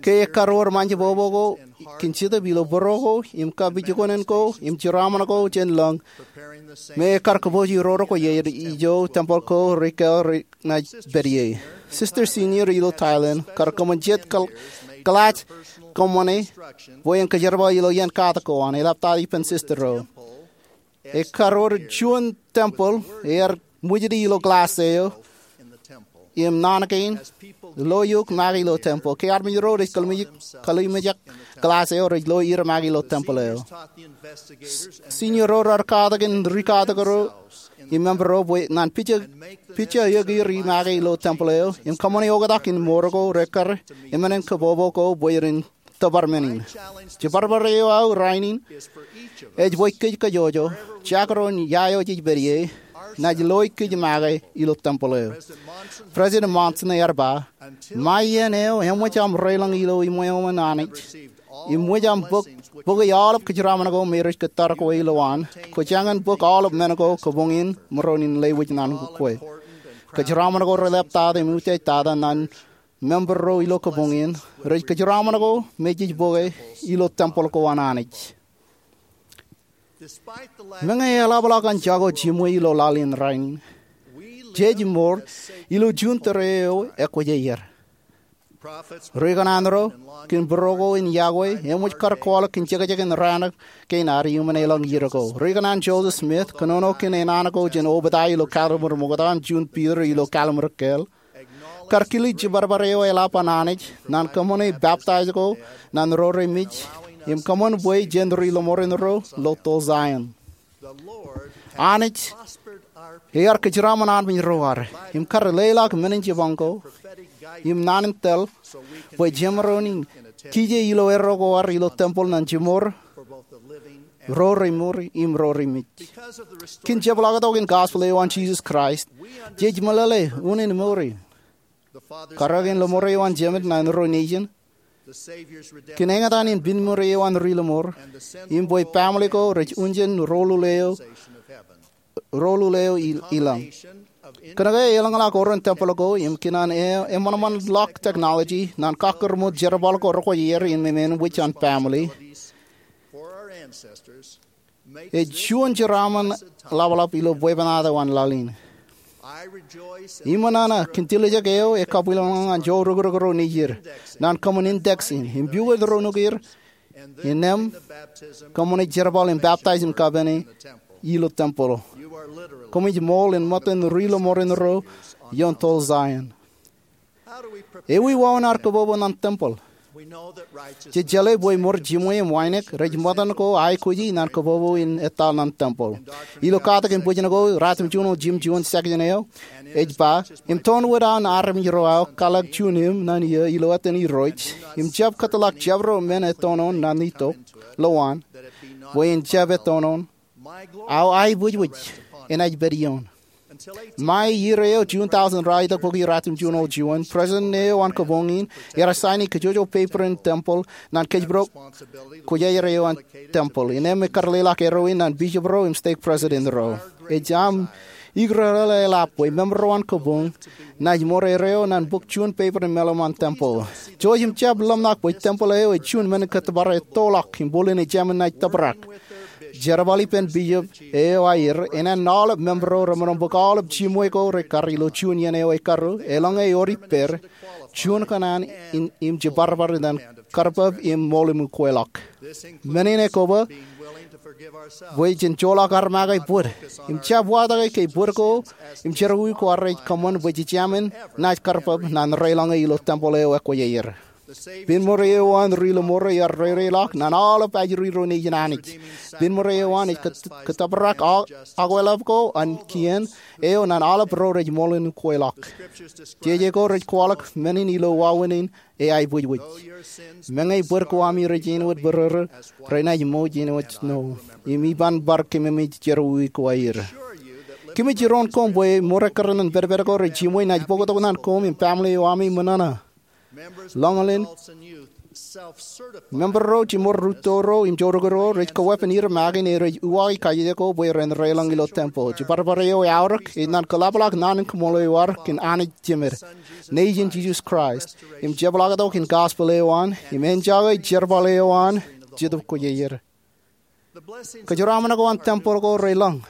ke ekkar wōr ṃaanjebōbō ko kōn Jetōb ilo bōro ko im kapijuknen ko im jeraaṃṃan ko jān lōñ me ekkar kōpooji ro ro ko aer ijo tempel ko rej kāāl rej naaj pād ie. Sister Senior ilo Thailand kar kōṃṃan jet kōl-, kōḷaaj kōṃṃane bwe en kōjerbal ilo iien katak ko an, eḷaptata ippān sister ro. Ekkar wōr juon tempel ear ṃwijdi ilo glass eo im naan kein lo eok make ilo tempel. Ke armej ro rej kōlimjek, kōlimjek glass eo rej lo er make ilo tempel eo. Senior ro raar katakin ri katak ro im member ro bwe ñan pija, pija eok er make ilo tempel eo im kōṃṃane oktak in mour ko rekkar im ānen kōbōbō ko bwe ren tōpar men in. Jibarbare eo aō rainin ej bwe kōj kajjojo, jekdọọn ia eo jej pād ie, naaj loe kōj make ilo tempel eo. President Monson ear ba, ṃae iien eo eṃōj aṃ reiḷọk ilo iṃweo an Anij im ṃōj aṃ bōk, bōki aolep kōjeraaṃṃan ko me rej kōttar kwe ilowaan, kwōj jañin bōk aolep men ko kabuñ in maroñ in lewōj ñan kwe. Kōjeraaṃṃan ko relaptata im utiej tata ñan member ro ilo kabuñ in, rej kōjeraaṃṃan ko me jej bōke ilo tempel ko an Anij. Meñe eḷapḷọk an jako jiṃwe ilo laḷ in rainin, jej mour ilo juon tōre eo ekwōjarjar. Ri kōṇaan ro kōn būruo ko in yokwe eṃōj kar kwaḷọk kōn jekjek in raan kein ad iuṃwin elōñ iiō ko. Ri kōṇaan Joseph Smith, kōnono kōn enaan ko jān Obadiah ilo kalliṃur ṃokta im juon Peter ilo kalliṃur kāāl, kar kile jibarbare eo eḷap an Anij ñan kōṃṃane baptize ko ñan ro remej im kōṃṃan bwe jen ri lọmọọren ro lo toḷ Zion. Anij ear kōjeraaṃṃan armej ro ad im kar leḷọk men in jipañ ko im naan in tōl bwe jemaroñ in kije ilo erro ko ad ilo tempel ñan jiṃor ro remour im ro remej. Kōn jepḷaaktok in gospel eo an Jisōs Kraist, jej meḷeḷe unin mour in. Karōk in lọmọọr eo an Jemān ñan ro nejin, kōn eñtaan in pinnṃōn eo an ri lọmọọr, im bwe family ko rej unin ro lule eo, ro lule eo i-, ilañ. Kōnke elōñḷọk oren tempel ko im kōn an e-, eṃṃanṃanḷọk technology ñan kakkōrmoot jerbal ko rekwōjarjar in emān wōj an family, ej juon jeraaṃṃan ḷapḷap ilo bwebwenato an laḷ in. Iṃōṇōṇō kōn tiljek eo ekabwilōñḷọk ñan joorōkrōk ro nejid ñan kōṃṃan index in im pukot ro nukier, innām kōṃṃane jerbal im baptize im kapene ilo tempel. Koṃij ṃool in ṃōttan ri lọmọọren ro ioon toḷ Zion. Ewi wāween ad kōbōbō ñan tempel? Jej jeḷā bwe ṃor jiṃwe im wānōk rej ṃōttan ko aikuji ñan kōbōbō in etal ñan tempel. Ilo katak in bwijin ko, Ratimjuon Eo Jimjuon section eo ej ba, im toon wōt an armej ro aō kwaḷọk juon eṃ ñan iiō ilo etan Irooj, im jab kōtḷọk jabdewōt men ettoon ñan itok lowaan, bwe en jab ettoon, aō aebwijbwij enaaj pād ioon. Ṃae iiō eo juon thousand raar itok bōki Ratimjuon Eo Juon, president eo an kabuñ in ear saini kōjwōjwōj paper in tempel ñan kōjparok kwōjarjar eo an tempel. Innām ekar leḷọk erro in ñan bishop ro im stake president ro. Ej aṃ ikōrōḷḷe eḷap bwe member ro an kabuñ naaj ṃor erreo ñan bōk juon paper in meḷeḷe an tempel. Jouj im jab ḷōmṇak bwe tempel eo ej juon men in kōttōpar ettoḷọk im bōlen ejāmin naaj tōprak. Jerbal ippān bishop eo aer, enaaj aolep member ro remaroñ bōk aolep jiṃwe ko rekar ilo juon iien eo ekkarru, eḷaññe ewōr ippād, juon kōṇaan in, im jibarbare ñan karpab im ṃool im ukweḷọk. Men in ekoba bwe jen joḷọk ad make bōd im jab watōke ke bōd ko im jerọwiwi ko ad rej kōṃṃan bwe jejāmin naaj karpab ñan reiḷọñe ilo tempel eo ekwōjarjar. Pinnṃōn eo an ri lọmọọr ear reireḷọk ñan aolep ajri ro nejin Anij. Pinnṃōn eo an ej kōt-, kōttōprak a-, akweḷap ko an kien eo ñan aolep ro rej ṃool im ukweḷọk. Jeje ko rej kwaḷọk men in ilo wāween in eaebwijbwij. Meñe bōd ko ami rej āinwōt bōrōrō, renaaj ṃōj āinwōt snow. Im iban bar kememej jerọwiwi ko aer. Kōmij iroon koṃ bwe ṃor ekkar ñan pedped ko rej jiṃwe naaj bōktok ñan koṃ im family eo ami ṃōṇōṇō. Lañlōñ in, member ro, jiṃor rūtto ro im joorōkrōk ro rej kaweepen er make in, rej uwaaki kajjitōk ko bwe ren reiḷọñ ilo tempel. Jibarbare eo eaorōk ej ñan kōḷapḷọk naan in kaṃṃoolol eo ad kōn Anij Jemād, Nejin Jisōs Kraist, im jepḷaaktok in gospel eo an, im enjoy jerbal eo an Jetōb Kwōjarjar. Kōjeraaṃṃan ko an tempel ko reḷọñ.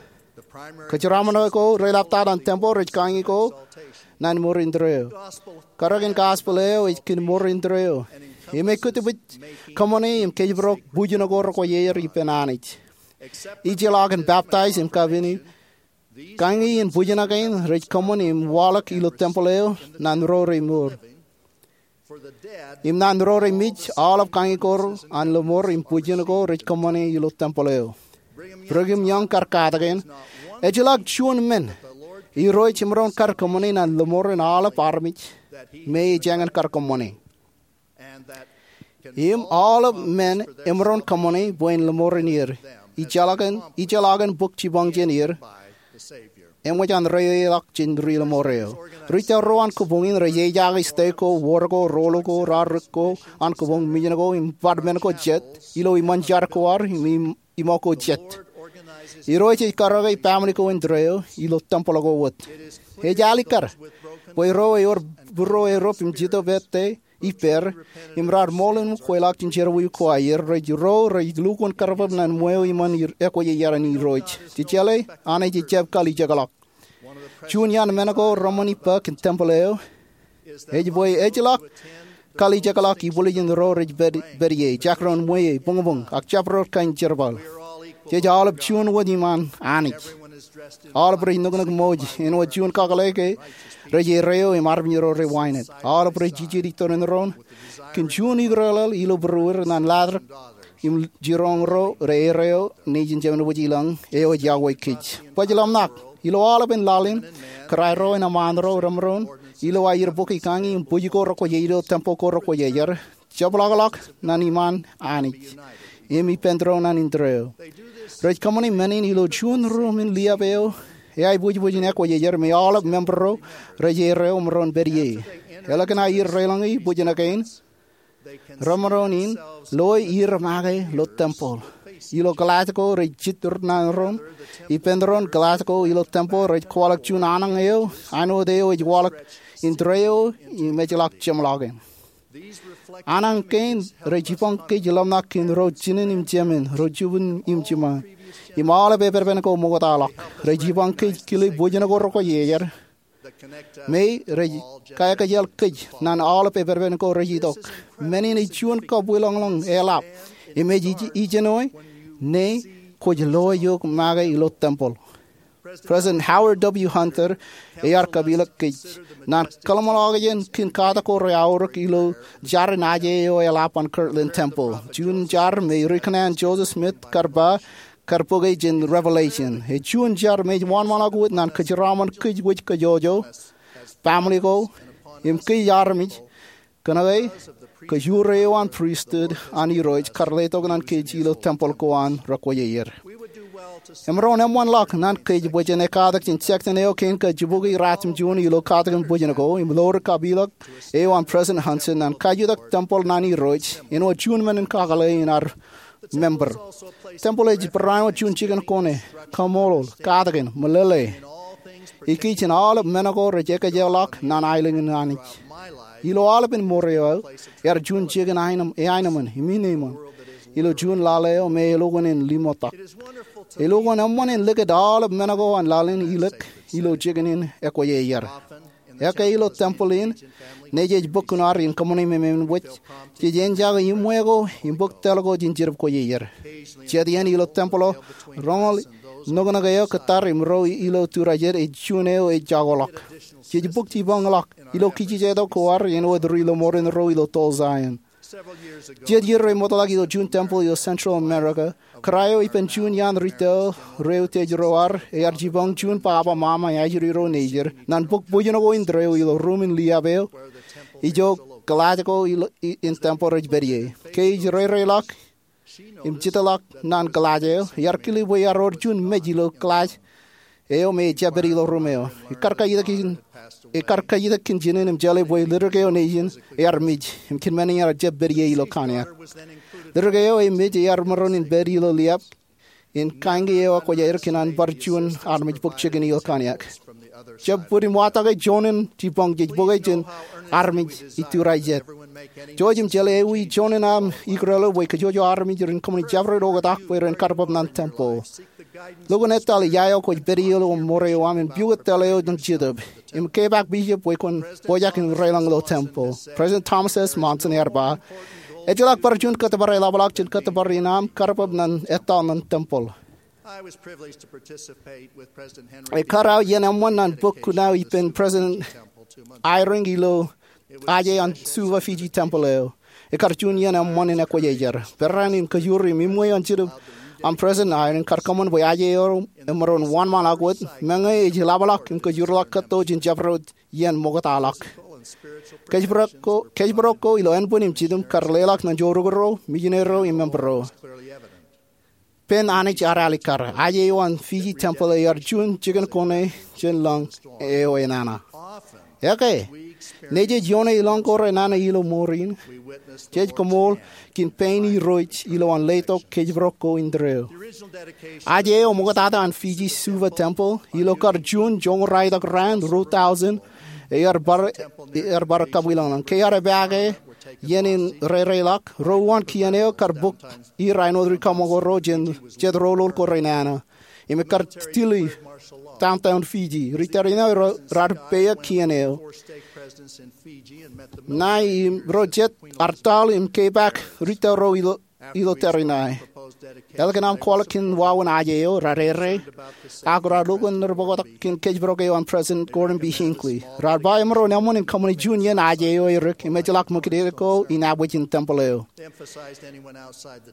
Kōjeraaṃṃan ko reḷaptata an tempel rej kañi ko ñan ṃor indeeo. Karōk in gospel eo ej kōn ṃor indeeo. Im ej kōttōpij kōṃṃane im kōjparok bwijin ko rekwōjarjar ippān Anij. Ijellọkin baptize im kapene, kañi in bwijin kein rej kōṃṃan im waḷọk ilo tempel eo ñan ro remour. Im ñan ro remej, aolep kañi ko an lọmọọr im bwijin ko rej kōṃṃane ilo tempel eo. Brigham Young kar katakin, ejjeḷọk juon men Irooj emaroñ kar kōṃṃane ñan lọmọọren aolep armej me ejāñin kar kōṃṃane. Im aolep men emaroñ kōṃṃane bwe en lọmọọren er. Ijjeḷọkin, ijjeḷọkin bōk jipañ jān er, eṃōj an reiōḷọk jān ri lọmọọr eo. Ri tōl ro an kōpoñ in rej ejaake stek ko, wōr ko, rōl ko, raorōk ko an kōpoñ, mijen ko, im department ko jet, ilo iṃaan jar ko ad, im, im iṃo ko jet. Irooj ej karōke family ko indeeo ilo tempel ko wōt. Ej alikkar bwe ro ewōr būruo erop im jitōb ettā ippāer, im raar ṃool im kweilọk jān jerọwiwi ko aer, rej ro rej lukkuun karpap ñan ṃweo iṃaan er, ekwōj iar an Irooj. Jejeḷā, Anij ejjab kalijekḷọk. Juon iaan men ko reṃṃan ippa kōn tempel eo ej bwe ejjeḷọk kalijekḷọk ibwiljin ro rej pād, pād ie, jakrōn ṃweo, buñbuñ, ak jabdewōt kain jerbal. Jej aolep juon wōt iṃaan Anij. Aolep rej nuknuk ṃōj āinwōt juon kakōḷḷe ke rej erreo im armej ro rej wānōk. Aolep rej jijet itōn in doon kōn juon ikōrḷọk ilo būrueir ñan laḷtak im jiroñ ro rej erreo nejin Jemed wōj ilañ eo ej yokwe kōj. Baj ḷōmṇak, ilo aolepen laḷ in, kōrā ro im eṃṃaan ro remaroñ ilo aer bōk ikañi im bwij ko rekwōj ilo tempel ko rekwōj iar jepḷọkḷọk ñan iṃaan Anij im ippān doon ñan indeeo. Rej kōṃṃane men in ilo juon ruumen liab eo eaibwijbwijin ekwōj iar me aolep member ro rej erreo im maroñ pād ie. Ālikin aer reilañe bwijin kein, remaroñ in loe er make ilo tempel. Ilo Glasgow rej jijet ñan doon, ippān doon Glasgow ilo tempel rej kwaḷọk juon aṇañ eo āinwōt eo ej waḷọk indeeo im ejjeḷọk jeṃḷọkin. Aṇañ kein rej jipañ kōj ḷōmṇak kōn ro jinen im jemān, ro jibwin im jiṃaan, im aolep epepen ko ṃoktaḷọk. Rej jipañ kōj kile bwijin ko rekwōj iar, me rej kaekōjel kōj ñan aolep epepen ko rej itok. Men in ej juon kabwilōñlōñ eḷap im ej ij-, ijenoe ñe kwōj loe eok make ilo tempel. President Howard W. Hunter ear kapeḷḷọk kōj ñan kōḷmānḷọkjeṇ kōn katak ko reaorōk ilo jar in aje eo eḷap an Kirtland Tempel, juon jar me ri-kōṇaan Joseph Smith kar ba kar bōke jān Revelation. Ej juon jar me ej wōnṃaanḷọk wōt ñan kōjeraaṃṃan kōj wōj kōjọjọ, family ko, im kōj armej, kōnke kōjro eo an pristut an Irooj kar letok ñan kōj ilo tempel ko an rekwōj iar. Emaroñ eṃṃanḷọk ñan kōj bwe jen ekkatak jān section eo kein kajjibukwi ratimjuon ilo katakin bwijin ko im ḷoor kapeḷḷọk eo an President Hansen ñan kajutak tempel ñan Irooj āinwōt juon men in kakōḷḷe in ad member. Tempel ej barāinwōt juon jikin kone, kaṃṃoolol, katakin, meḷeḷe. Ikijjien aolep men ko rej ekōjḷọk ñan aelōñ in Anij. Ilo aolepen ṃor eo aō, ear juon jikin aenōṃ, eaenōṃṃan im enaaj ilo juon laḷ eo me elukkuun en limotak. Elukkuun eṃṃan en likūt aolep men ko an laḷ in ilōk ilo jikin in ekwōj iar. Ekkā ilo tempel in, ñe jej bōk kuṇaad in kōṃṃane memein wōj, jej enjake iṃwe ko im bōk tōl ko jān Jetōb Kwōjarjar. Jet iien ilo tempel eo, roñoul nuknuk eo kōttar im ro ilo tūrā jet ej juon eo ej jakoḷọk. Jej bōk jipañḷọk ilo kijejetok ko ad āinwōt ri lọmọọren ro ilo Tulsa in. Jet iiō remootḷọk ilo juon tempel ilo Central America, kōrā eo ippān juon iaan ri tōl ro utiej ro ad ear jipañ juon baba mama eo ajri ro nejid ñan bōk bwijin ko indeeo ilo ruumen liab eo ijo glass ko ilo i-, in tempel rej pād ie. Ke ej reireilọk im jitḷọk ñan glass eo, ear kile bwe ear wōr juon mej ilo glass eo me ejjab pād ilo ruum eo. Ekar kajjitōk in, ekar kajjitōk kōn jinen im jeḷā bwe ledik eo nejin ear mej im kōn men in ear jab pād ie ilo kōnniaak. Ledik eo ej mej ear maroñ in pād ilo liab in kañin eo ekwōjarjar kōn an bar juon armej bōk jikin ilo kōnniaak. Jab bōd im watōke juon in jipañ jej bōke jān armej iturai jet. Jouj im jeḷā ewi juon in aṃ ikōrḷọk bwe kōjwōj armej ren kōṃṃane jabdewōt oktak bwe ren karpap ñan tempel. Lukkuun etal ia eo kwōj pād ie ilo ṃor eo aṃ im pukot tōl eo jen jetōb. Im kepaak bishop bwe kwōn pojak in reilañ ilo tempel. President Thomas S. Monson ear ba, ejjeḷọk bar juon kōttōpar eḷapḷọk jān kōttōpar in aṃ karpap ñan etal ñan tempel. Ekkar aō iien eṃṃan ñan bōk kuṇaō ippān President Eyring ilo aje an Suva Fiji tempel eo. Ekkar juon iien eṃṃan in ekwōjarjar. Peran in kōjwōj im iṃwe an Jetōb an President Eyring kar kōṃṃan bwe aje eo emaroñ wōnṃaanḷọk wōt, meñe ej eḷapḷọk im kōjwōjḷọk kōtto jān jabdewōt iien ṃoktaḷọk. Kōjparok ko, kōjparok ko ilo ānbwin im jidim kar leḷọk ñan joorukro, mijinero im member ro. Pen Anij ear alikkar. Ajeo an Fiji tempeḷ ear juon jikin kone jān lañ eo enana. Ekwe, ñe jej ioone ilọñ ko renana ilo ṃoor in, jej koṃṃool kōn pein Irooj ilowaan letok kōjparok ko indeeo. Ajeo ṃoktata an Fiji Suva tempeḷ ilo kar juon joñoul raeltok raan ruo tọujin ear bar, ear bar kabwilōñlōñ. Ke ear epaake iien in rereḷọk, ro uwaan kien eo kar bōk er āinwōt rikaṃakoro jān jet roḷoḷ ko renana im ekar tili downtown Fiji. Ri tariṇae ro raar peiḷọk kien eo ṇae im ro jet ear taḷ im kepaak ri tōl ro ilo, ilo tariṇae. Ālikin aṃ kwaḷọk kōn wāween ajeo, raar errā ak raar lukkuun ḷōmṇak kōn kōjparok eo an President Gordon B. Hinckley. Raar ba emaroñ eṃṃan in kōṃṃani juon iien ajeo erik im ejjeḷọk ṃōkaj ko inaaj bwe in tempeḷ eo.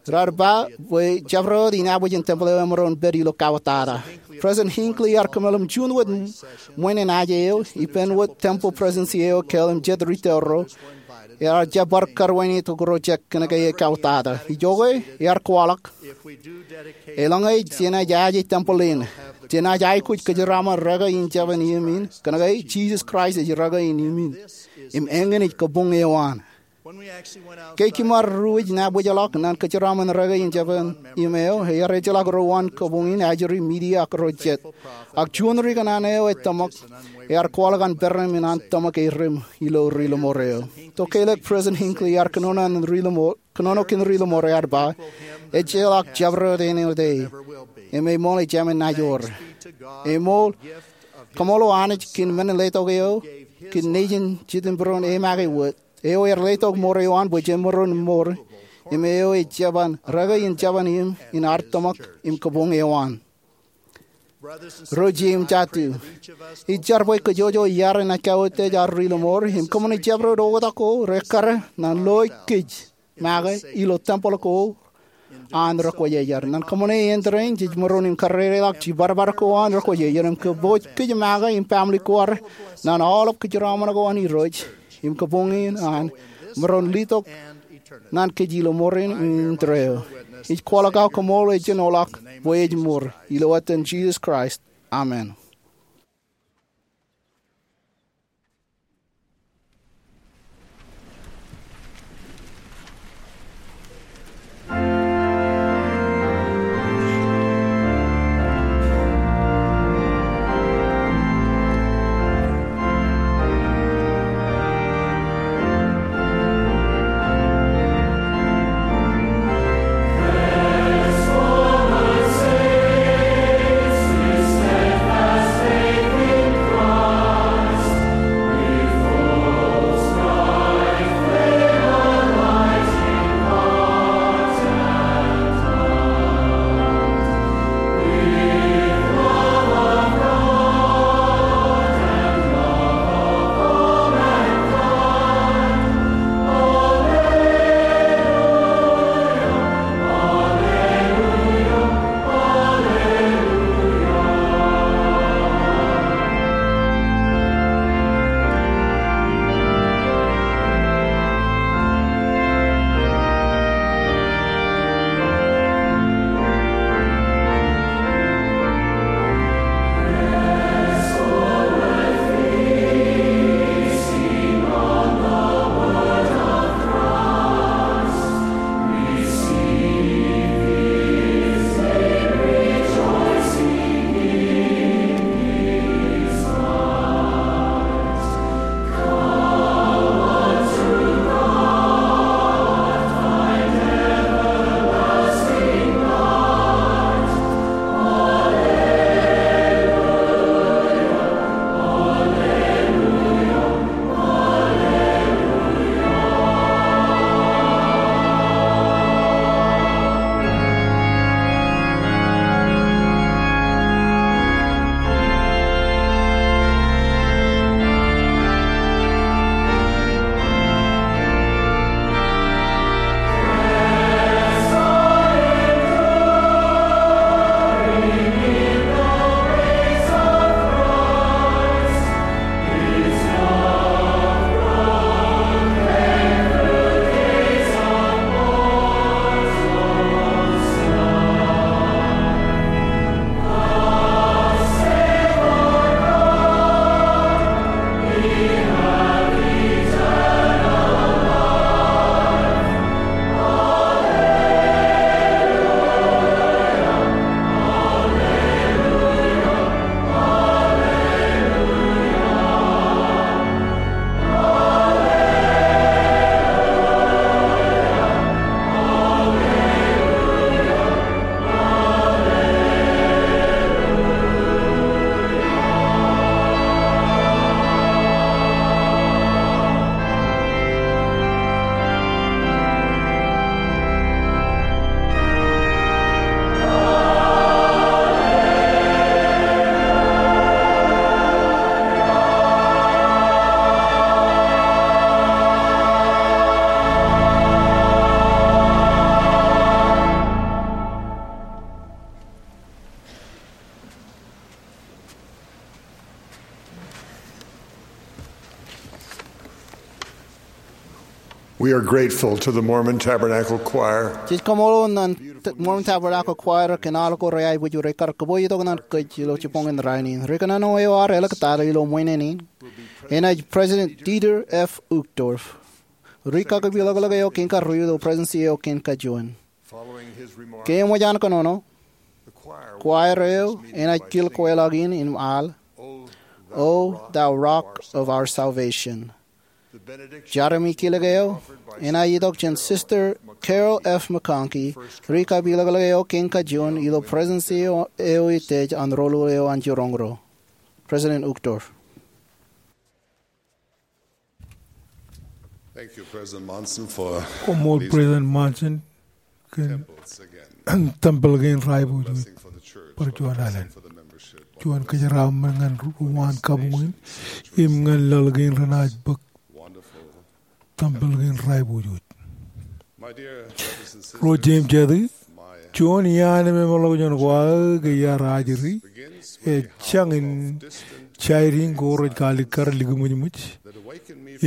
Raar ba bwe jabdewōt inaaj bwe in tempeḷ eo emaroñ pād ilo kautiej. President Hinckley ear kōmeḷeḷe im juon wōt ṃweiin ajeo ippān wōt tempeḷ presidency eo ekāāl im jet ri tōl ro ear jab bar kar wānōk ro jek kōnke e kautiej. Ijoke ear kwaḷọk, eḷaññe jenaaj aje tempeḷ in, jenaaj aikuj kōjeraaṃṃan rōke in jeban im in, kōnke Jisōs Kraist ej rōke in im in. Im eñin ej kabuñ eo an. Ke kōṃṃan ruo ej nabōjḷọk ñan kōjeraaṃṃan rōke in jeban im eo, ear ejjeḷọk ro uwaan kabuñ in ajri media ak ro jet. Ak juon ri kōṇaan eo e tōmak, ear kwaḷọk an peran im an tōmak e rim ilo ri lōṃoor eo. Tokālik President Hinckley ear kōnono an ri lōṃoor, kōnono kōn ri lōṃoor ear ba, ejjeḷọk jabdewōt āinwōt e, im eṃool ejāmin naaj wōr. Eṃool, kaṃṃoolol Anij kōn men in letok eo kōn Nejin Jitōnbōro e make wōt. Eo ear letok ṃoor eo an bwe jemaroñ ṃool, im eo ej jeban rōke in jeban im in ad tōmak im kabuñ eo an. Ro jet im jatū, ij jar bwe kōjwōj iar naaj kautiej ad ri lōṃoor im kōṃṃane jabdewōt oktak ko rekkar ñan lo kōj make ilo tempeḷ ko an rekwōjarjar. Ñan kōṃṃane āindein jej maroñ in karereḷọk jibadbad ko an rekwōjarjar im kōpooj kōj make im family ko ad ñan aolep kōjeraaṃṃan ko an Irooj im kabuñ in an maroñ letok ñan kōj ilo ṃoor in indeeo. Ij kwaḷọk aō kaṃṃoolol ejjab ḷọk bwe ej ṃool ilo etan Jisōs Kraist. Amen. We are grateful to the Mormon Tabernacle Choir. Jej kaṃṃoolol ñan Mormon Tabernacle Choir kōn aḷ ko reaiboojoj rekar kōpooj tok ñan kōj ilo jibboñ in rainin. Ri kōnono eo ad elōñ tata ilo ṃwiin in enaaj President Dieter F. Uchtdorf, ri kaki piḷōklōk eo kein karuo ilo Presidency eo kein kajuon. Ke eṃōj an kōnono, choir eo enaaj kil kweilọk in im al, O thou rock of our salvation. Jar im kilōk eo enaaj itok jān Sister Carol F. McConkie, ri kaki piḷōklōk eo kein kajuon ilo Presidency eo ej tōl an roḷoḷ eo an jiroñ ro. President Uchtdorf. Thank you, President Monson, for Koṃṃool these President Monson kōn temples again. Tempel kein raiboojoj. Blessing for the church, bar juon alen. Blessing for the membership. Juon kōjeraaṃṃan ñan ri waan kabuñ in im ñan laḷ kein renaaj bōk. Wonderful. Tempel kein raiboojoj. My dear brothers and sisters, ro jeiū im jatū, my juon iaan memeḷọkjeṇ ko aō ke iar ajri, ej jañin jaidiñ ko rej kalikkar likiṃōjṃōj.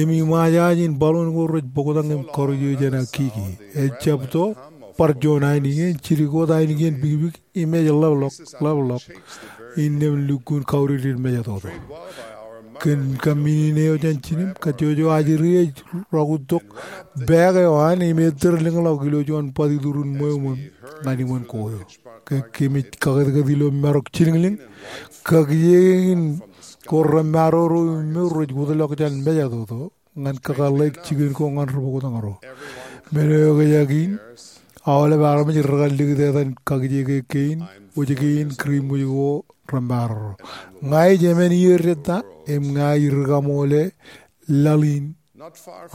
Im iṃaaj aje in baḷuun ko rej bōktañ im karuj eō jān aō kiki. Ejjab to bar juon ainikien, jidik wōt ainikien bikbik, im ej ḷapḷọk, ḷapḷọk, innām lukkuun kautiej mejatoto. Kōn kaminene eo jān jinem, kajjojo ajri ej rọọltok bōk eo an im ettōr lōñḷọk ilo juon bōtitoḷ in ṃweo ṃōm ñan iṃōn ko eo. Ke kōmij kakōtkōt ilo marok jilōñlōñ, kakijeek in ko remaroñ ro im mour rej wōtlọk jān mejatoto ñan kakōḷḷe jikin ko ñan ri bōktañ ro. Men eo ekōjak in, aolep armej rekar likūt etan kakijeek kein, wōj kein, kūr im wōj ko remaroñ ro. Ña ij emān iiō jet ta, im ña ij rikaṃoole laḷ in,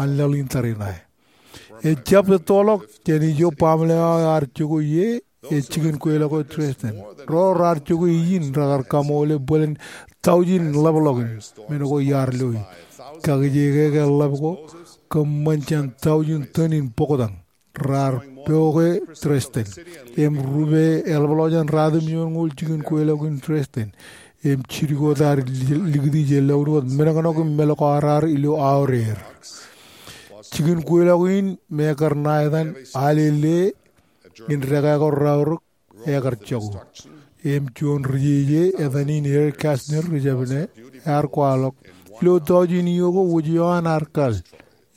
an laḷ in tariṇae. Ejjab ettoḷọk jān ijo baaṃle eo ear jokwe ie, ej jikin kweilọk eo Dresden. Ro raar jokwe ijin rekar kaṃoole bōlen taujin ḷapḷọk in men ko iar loi. Kakijeek ke ḷap ko kōṃṃan jān taujin tōn in bōktañ raar poke Dresden. Im rupe eḷapḷọk jān ratimjuonñoul jikin kweilọk in Dresden. Im jidik wōt ad likūti je lọkun wōt men ṇe ṇe im meḷeḷe ko ad ilo aorōk. Jikin kweilọk in me ekar ṇa etan Alele in dekā ko raorōk ekar jako. Im juon ri jeje etan in Eric Kastner ri jabōn ear kwaḷọk. Ilo taujin iiō ko wōj eo an ear kal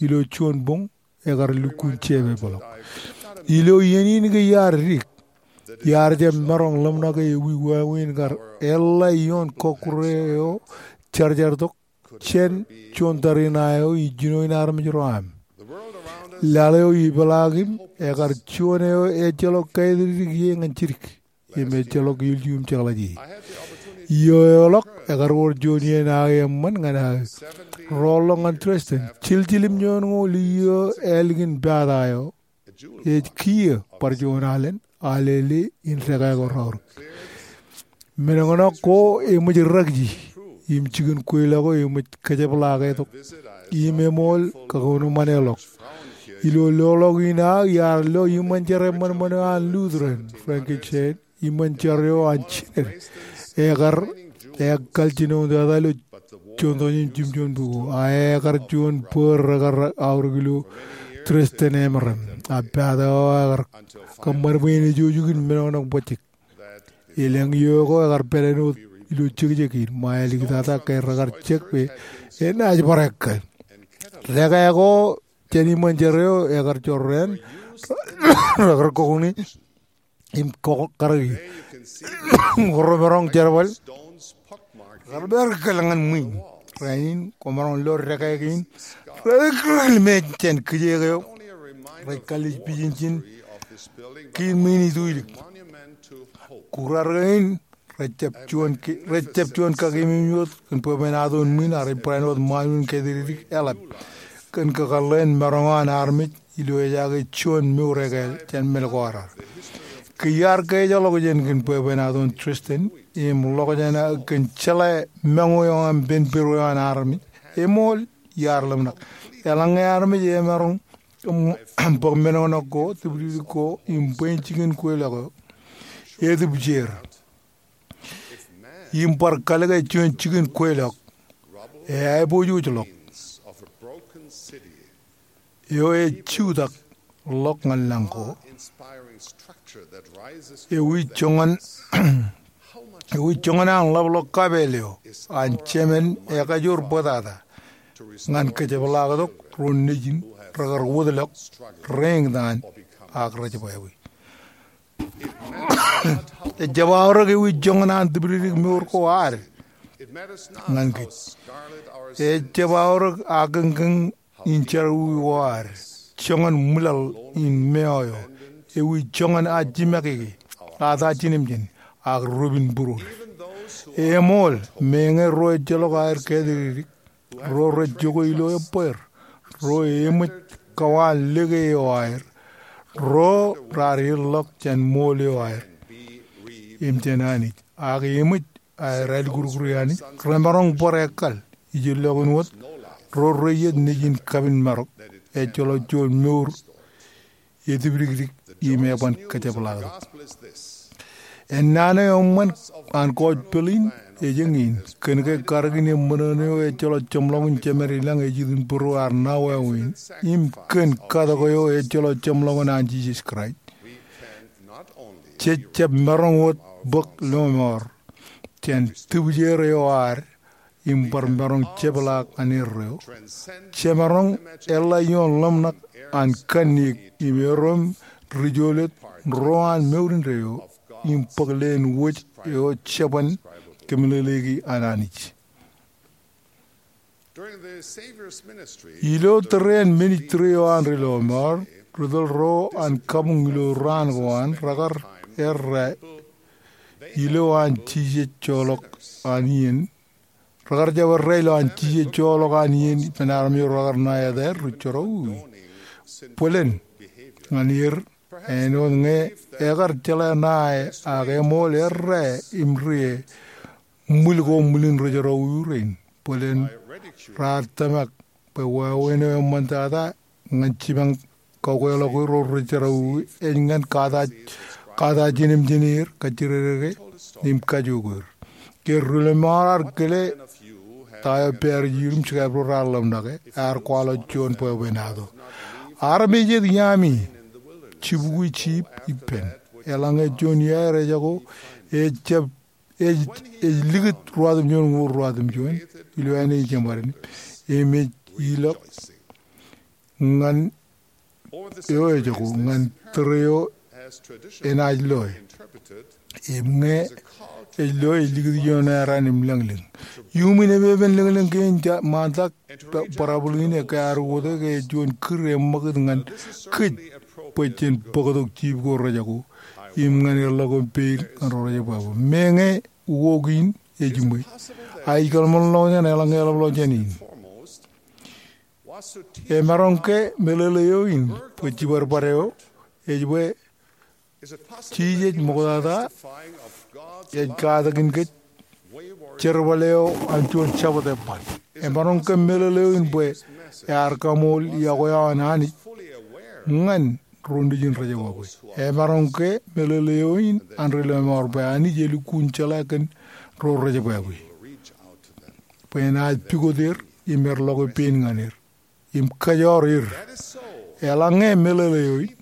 ilo juon boñ ekar lukkuun jepepḷọk. Ilo iien in ke iar dik, iar jab maroñ ḷōmṇak e ewi wāween kar eḷḷā ioon kọkkure eo jarjar tok jān juon tariṇae eo ijjino in armej ro aṃ. Laḷ eo ipeḷaakim ekar juon eo ejjeḷọk kāidikdik ie ñan jidik im ejjeḷọk ilju im jeḷā ie. Iiō eo ḷọk ekar wōr juon iien aō eṃṃan ñan aō roolḷọk ñan Dresden. Jiljilimjuonñoul iiō ālikin pata eo ej kiiō bar juon alen, Alele in dekā ko raorōk. Men ṇe ṇe ko eṃōj rekji im jikin kweilọk eo eṃōj kōjepḷaake tok im eṃool kakōnomaneḷọk. Ilo loḷọk in aō iar lo iṃōn jar eṃṃanṃan eo an Lutheran, Frankenstein, iṃōn jar eo an jined. Ekar, ekar kal jinoin tata ilo juon tọujin jimjuon bukwi. A ekar juon bōd rekar aorōk ilo Dresden emaroñ. A pata eo ekar kōṃṃan bwe en ejouj in men ṇe ṇe bajjek. Elōñ iiō ko ekar pād āinwōt ilo jekjek in, ṃae āliktata ke rekar jek bwe enaaj bar ekkal. Dekā ko jān iṃōn jar eo ekar jorrāān, rekar kokne im kōkōrā ie. Im remaroñ jerbal rekar bar ekkal ñan ṃwiin. Rainin, kwōmaroñ lo dekā kein rej rikrik limej jān kijeek eo rej kalliej pijinjin kiin ṃwiin ituilik. Kūrrein rej jab juon ke-, rej jab juon kakememej wōt kōn bwebwenato in ṃwiin ak rej barāinwōt ṃaanmej in kāidikdik eḷap kōn kakōḷḷe in maroñ eo an armej ilo ejake juon mour ekāāl jān men ko raar. Ke iar kōjjeḷọk jān kōn bwebwenato in Dresden im ḷọk jān aō kōn jeḷā ṃōñā eo aṃ pen Pero eo an armej, eṃool iar ḷōmṇak. Eḷaññe armej emaroñ bōk men ṇe ṇe ko, dipdipdik ko im bwe in jikin kweilọk eo, etipjeer im bar kalōke juon jikin kweilọk, eaiboojoj ḷọk. eo ej jutak ḷọk ñan lañ ko. Ewi joñan, ewi joñan an ḷapḷọk kapeel eo an Jemān ekajoor bōtata ñan kōjepḷaaktok ro nejin rekar wōtlọk reeñtaan ak rejebwābwe. Ejjab aorōk ewi joñan an tipdikdik mour ko ad ñan kōj. Ejjab aorōk akōñkōñ in jerọwiwi ko ad, joñan ṃwilaḷ in meoyo, ewi joñan ajjimake ke, ata jinōmjin, ak rubin būruod. Eṃool, meñe ro ejjeḷọk aer kātidikdik, ro rej jokwe ilo ebbweer, ro eṃōj kawaan lōke eo aer, ro raar erḷọk jān ṃool eo aer im jān Anij, ak eṃōj aer alikurkuri Anij, remaroñ bar ekkal ijellọkin wōt ro reiiet nejin kapin marok, ejjeḷọk juon mour etipdikdik im eban kōjepḷaaktok. Ennaan eo eṃṃan an gospel in ej eñin, kōn ke karōkin eṃṃan eo ejjeḷọk jeṃḷọkin Jemād ilañ ej itok būruo ear na wāween, im kōn katok eo ejjeḷọk jeṃḷọkin an Jisōs Kraist. Jej jab maroñ wōt bōk lọmọọr jān tipjeer eo ad im bar maroñ jepḷaak ñan erreo. Jemaroñ eḷḷā ioon ḷōmṇak an kanniōk im erom ri-jolōt ro an mour indeeo im bōk leen wōj eo jeban kōmeḷeḷeiki an Anij. Ilo tōre in ministry eo an ri lọmọọr, ri tōl ro an kabuñ ilo raan ko an rekar errā ilo an jijet joḷọk an iien. Rekar jab errā ilo an jijet joḷọk an iien ippān armej ro rekar ṇa etaer ri jerọwiwi. Bōlen ñan er āinwōt ñe ekar jeḷā ṇae ak eṃool errā im rie ṃwil ko ṃwilin ri jerọwiwi rein. Bōlen raar tōmak bwe wāween eo eṃṃantata ñan jipañ kakweḷọk ro ri jerọwiwi ej ñan kata, kata jinōmjin er, kajjirere ke im kajook er. Ke ri lọmọọr ar kile ta eo pād ijin im jikabdewōt raar ḷōmṇake, ear kwaḷọk juon bwebwenato. Armej jet iaami jibukwi jiip ippān. Eḷaññe juon iaer ejako ejab ej, ej likūt ruwatimjuon ñoul ruwatimjuon ilo āne ijemād in, im ej ilọk ñan eo ejako ñan tōre eo enaaj loe. Im ñe ej loe ej likūt ioon eran im lōñlōñ. Iuṃwin epepen lōñlōñ kein ṃaantak, ba-, barabōl in ekkā ad wōte ke juon kūr eṃṃakūt ñan kōj bwe jen bōktok jiip ko rejako im ñan erḷọk eo pein ñan ro rejebwābwe. Meñe ukok in ejiṃwe, a ij kōḷmānḷọkjeṇ eḷaññe eḷapḷọk jān in. Emaroñ ke meḷeḷe eo in bwe jibadbad eo ej bwe Jisōs ṃoktata ej katakin kōj jerbal eo an juon Jabōt eban. Emaroñ ke meḷeḷe eo in bwe ear kaṃool iọkwe eo an Anij ñan ro nejin rejebwābwe. Emaroñ ke meḷeḷe eo in an ri lọmọọr bwe Anij elukkuun jeḷā kōn ro rejebwābwe bwe enaaj pukot er im erḷọke pein ñan er im kōjọr er. Eḷaññe meḷeḷe eo in,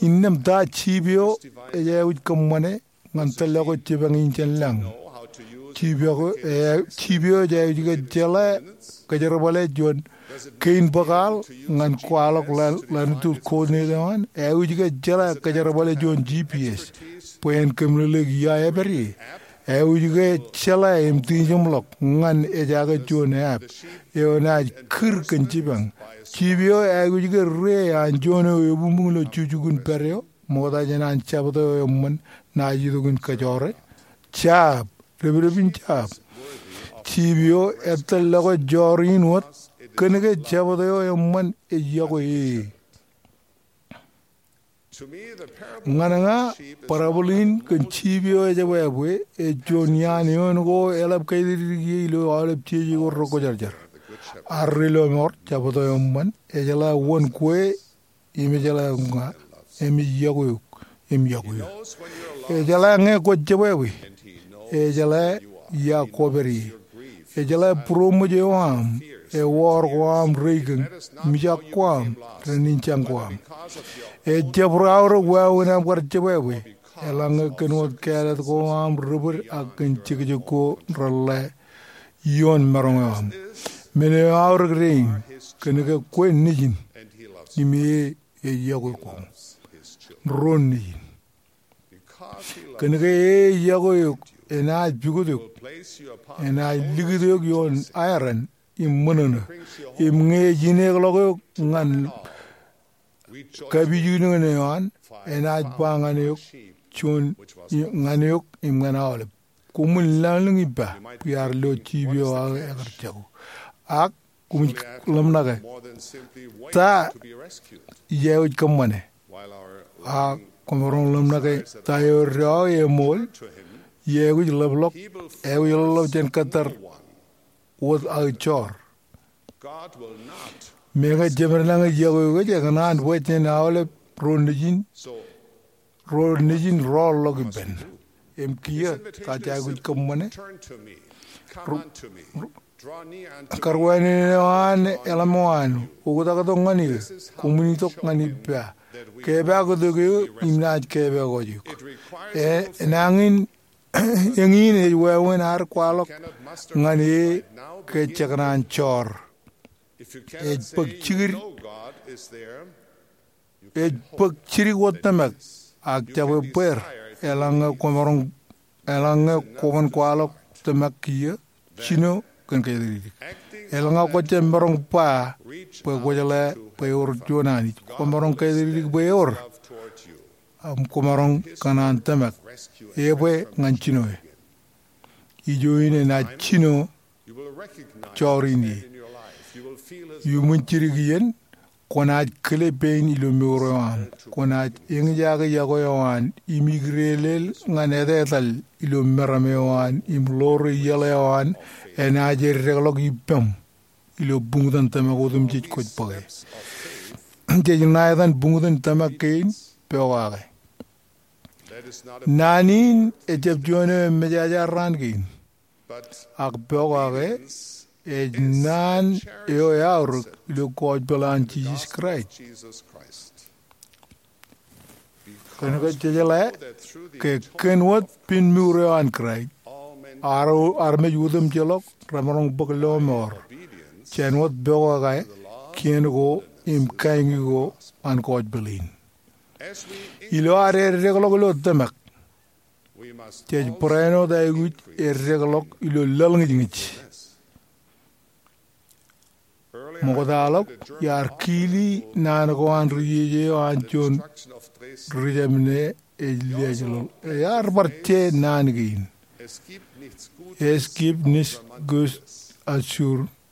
innām ta jiip eo ej aikuj kōṃṃane ñan tōllọke jipañ in jān lañ? Jiip eo, e, jiip eo ej aikuj ke jeḷā kōjerbale juon kein bōk aḷ ñan kwaḷọk ḷan, ḷanutut coordinate eo an? Aikuj ke jeḷā kōjerbale juon G P S bwe en kōmeḷeḷeik ia epād ie? Aikuj ke jeḷā im tijeṃḷọk ñan ejake juon app eo enaaj kūr kōn jipañ? Jiip eo aikuj ke rie an juon eo ebuñbuñ ilo jukjuk in pād eo ṃokta jān an Jabōt eo eṃṃan naaj itok in kōjọre? Jab, depdep in jab. Jiip eo etōllọke jọri in wōt kōn ke Jabōt eo eṃṃan ej iọkwe e. Ñan ña, parabōl in kōn jiip eo ejebwābwe ej juon iaan eoon ko eḷap kaititiki ilo aolep jeje ko rekwōjarjar. Ad ri lọmọọr, Jabōt eo eṃṃan ejeḷā wōn kwe im ejeḷā ña, im ej iọkwe eok im iọkwe eok. Ejeḷā ñe kwōj jebwābwe. Ejeḷā ia kwōpād ie. Ejeḷā būroṃōj eo aṃ ewọọr ko aṃ reikōñ, mijak ko aṃ, renjin jañ ko aṃ. Ejab ri aorōk wāween aṃ kar jebwābwe, eḷaññe kōn wōt kāālōt ko aṃ ri-bōd ak kōn jekjek ko reḷḷā ioon maroñ eo aṃ. Men eo eaorōk dein, kōnke kwe nejin, im e ej yokwe koṃ. Ro nejin. Kōnke e ej yokwe eok, enaaj pukot eok, enaaj likūt eok ioon aeran im ṃōṇōṇō. Im ñe ej ineekḷọk eok ñan kapijuknen eo an, enaaj ba ñan eok, juon, ñan eok im ñan aolep. Koṃwin laḷ in ippa bwe iar lo jiip eo aō ekar jako. Ak koṃij ḷōmṇake, ta ij aikuj kōṃṃane? Ak kwōmaroñ ḷōmṇake, ta eo eddo aō eṃool, ij aikuj ḷapḷọk, aikuj ḷapḷọk jān kōttar wōt aō joor. Meñe jemed lañ ej yokwe eok, ekōṇaan bwe jen aolep ro nejin, ro nejin roḷọk ippān. Im kiiō, ta jej aikuj kōṃṃane? Ro-, ro-, karwāneen eo an eḷap eo an, oktak tok ñan eō, koṃwin itok ñan ippa, kepaaktok eō im naaj kepaaktok eok. E, enañin, eñin ej wāween ad kwaḷọk ñan e ke jekōṇaan joor. Ej bōk jidik, ej bōk jidik wōt tōmak, ak jab ebbeer, eḷaññe kwōmaroñ, eḷaññe kwōban kwaḷọk tōmak kiiō, jino kōn kaitōdidik. Eḷaññe kwō jab maroñ ba bwe kwō jeḷā bwe ewōr juon Anij, kwōmaroñ kaitōdidik bwe ewōr, im kwōmaroñ kōṇaan tōmak, ebwe ñan jinoe. Ijo in enaaj jino joor in ie. Iuṃwin jidik iien, kwōnaaj kile pein ilo mour eo aṃ. Kwōnaaj eñjake yokwe eo an im ikdeelel ñan etetal ilo meram eo an im ḷoore iaḷ eo an enaaj eddekḷọk ippaṃ ilo buñtōn tōmak otemjej kwōj bōke. Jej ṇa etan buñtōn tōmak kein, pokake. Naan in ejjab juon eo emejaja raan kein. Ak pokake ej naan eo eaorōk ilo gospel an Jisōs Kraist. Kōnke jejeḷā ke kōn wōt pinmour eo an Kraist, armej otemjeḷọk remaroñ bōk lọmọọr jān wōt pokake kien ko im kain ko an gospel in. Ilo ad eddekḷọk ilo tōmak, jej barāinwōt aikuj eddekḷọk ilo laḷñijñij. Ṃoktaḷọk iar kili naan ko an ri-jeje eo an juon ri-jemān ej liaaj ḷọk. Iar bar je naan kein. Es gibt nichts Gutes als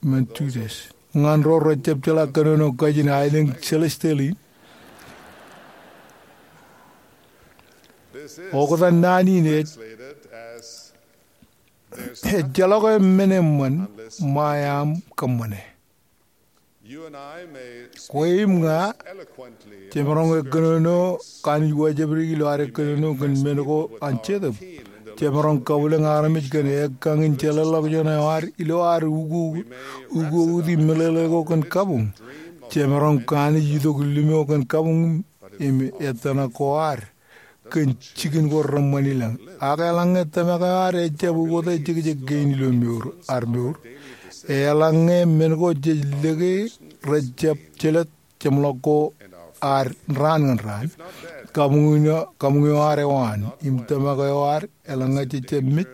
Myrtengold. Ñan ro rejjab jeḷā kōnono kajin aelōñ celestial in, oktak naan in ej, ejjeḷọk men eṃṃan ṃae aṃ kōṃṃane. Kwe im ña jemaroñ kōnono kanooj wōjābdiki ilo ad kōnono kōn men ko an Jetōb. Jemaroñ kabwilōñ armej kōn ekkañ in jeḷāḷọkjeṇ eo ad ilo ad ukok, ukokoti meḷeḷe ko kōn kabuñ. Jemaroñ kanooj itok limo kōn kabuñ im ettōṇak ko ad kōn jikin ko reṃṃan ilañ. Ak eḷaññe tōmak eo ad ejjab ukōte jekjek kein ilo mour, ad mour, eḷaññe men ko jej lōke rejjab jelōt jeṃḷọk ko ad raan ñan raan, kabuñ eo, kabuñ eo ad ewaan im tōmak eo ad, eḷaññe jejjab mej,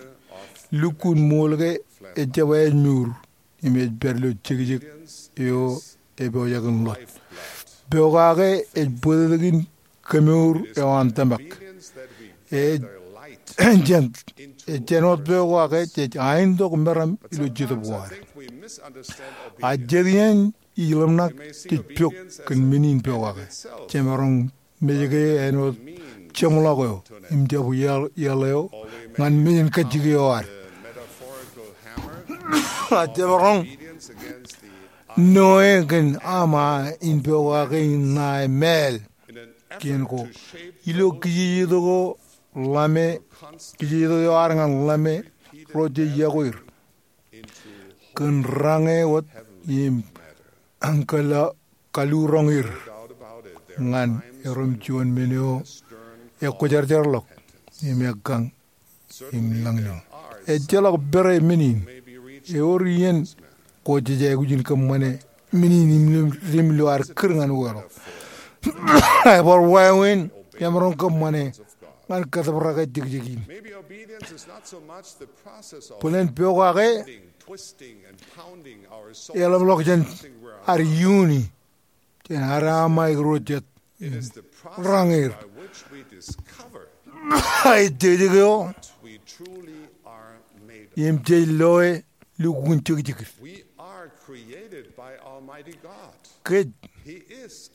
lukkuun ṃool ke ejjab ej mour im ej pād ilo jekjek eo epojak in ḷot. Pokake ej bōtōktōkin kemour eo an tōmak. Ej jān, ej jān wōt pokake jej aintok meram ilo Jetōb ko ad. A jet iien ij ḷōmṇak jej pok kōn men in pokake. Jemaroñ mej ke āinwōt jeṃḷọk eo im jab iaḷ, iaḷ eo ñan mejānkajjik eo ad. A jemaroñ noe kōn ama in pokake in ṇae māāl kien ko ilo kijejetok eo ḷame, kijejetok eo ad ñan ḷame ro jej yokwe er kōn rañe wōt im kal-, kaluroñ er ñan erom juon men eo ekwōjarjarḷọk im ekkañ im lañlōñ. Ejjeḷọk pere men in. Ewōr iien ko jej aikuj in kōṃṃane men in im lim, lim ilo ad kūr ñan wōḷọk. Ebar wāween emaroñ kōṃṃane ñan kōtōprak eo jekjek in. Bōlen pokake eḷapḷọk jān ad iuni, jān ad aṃ aikuj ro jet rañ er. Ej jekjek eo im jej loe lukkuun jekjek. Kōj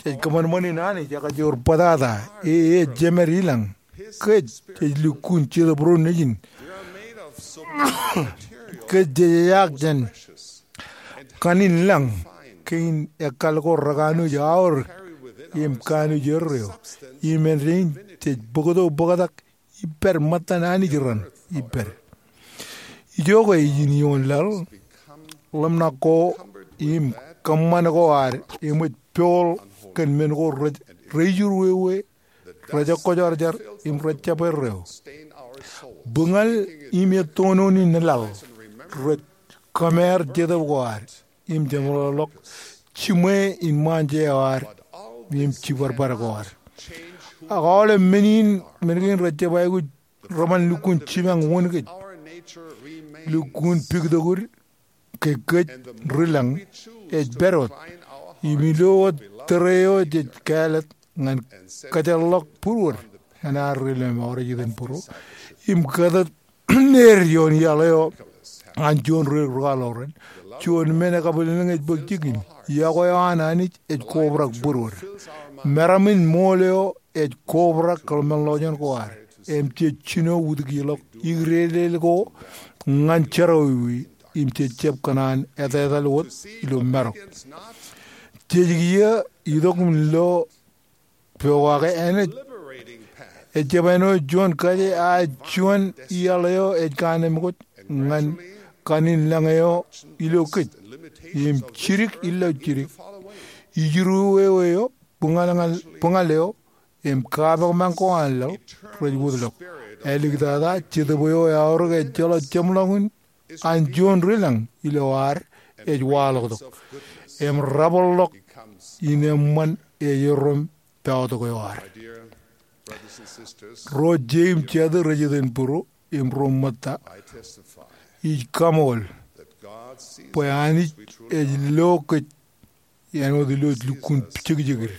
jej kōṃanṃan in Anij, ekajoor bōtata, e, ej jemed ilañ. Kōj jej lukkuun Jetōb ro nejin. Kōj jej ejaak jān kanin lañ kein ekkal ko rekanooj aorōk im kanooj erreo. Im āindein jej bōktok bōktak ippād ṃōttan Anij raṇ ippād. Ijoke ijin ioon laḷ, ḷōmṇak ko im kōṃṃan ko ad eṃōj pool kōn men ko rej, rejiruwewe, rejekwōjarjar im rejjab erreo. Buñal im ettonon in laḷ rej kōmeer Jetōb ko ad im jeṃḷọkḷọk jiṃwe in ṃaanje eo ad im jibadbad ko ad. Ak aolep men in, men kein rejjab aikuj reban lukkuun jipañ wōn kōj. Lukkuun piktokud ke kōj ri lañ ej pād wōt. Im ilo wōt tōre eo jej kāālōt ñan kōjeḷḷọk būruod, enaaj ri lọmọọr ej iten būro im kōtōt er ioon iaḷ eo an juon ri rūkaḷoran. Juon men ekabwilōñlōñ ej bōk jikin. Iọkwe eo an Anij ej kobrak būruod. Meram in ṃool eo ej kobrak kōḷmānḷọkjeṇ ko ad im jej jino utikiḷọk ikdedeḷ ko ñan jerọwiwi im jej jab kōṇaan etetal wōt ilo marok. Jej kiiō itok im lo pokake āinwōt ejjab āinwōt juon kaje, a ej juon iaḷ eo ej kaanemkwōj ñan kanin lañ eo ilo kōj im jidik ilọk jidik. Ijiruwewe eo, buñal, buñal eo im kapakpak ko an laḷ rej wōtlọk. Āliktata Jetōb eo eaorōk ejjeḷọk jeṃḷọkin an juon ri lañ ilo ad ej waḷọktok im rabōḷḷọk in eṃṃan ej erom pọọtok eo ad. Ro je im jatū rej iten būro im ro ṃōtta, ij kaṃool bwe Anij ej lo kōj āinwōt ilo ej lukkuun jekjek er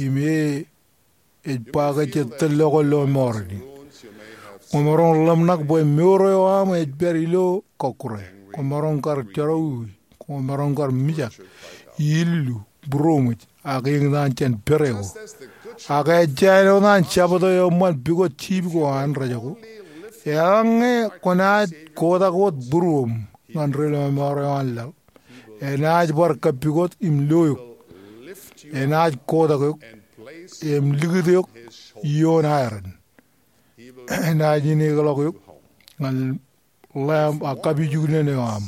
im e ej ba ke jej tōl lo ko lọmọọren in. Kwōmaroñ ḷōmṇak bwe mour eo aṃ ej pād ilo kọkkure. Kwōmaroñ kar jerọwiwi. Kwōmaroñ kar mijak, illu, būroṃōj, ak eñtaan jān pere ko. Ak ejja āinwōt an jabōt eo eṃṃan pukot jip ko an rejako, eḷaññe kwōnaaj kotak wōt būruōṃ ñan ri lọmọọr eo an laḷ, enaaj bar kappukot im lo eok. Enaaj kotak eok im likūt eok ioon aeran. Enaaj inekḷọk eok ñan lamp ak kapijuknen eo aṃ.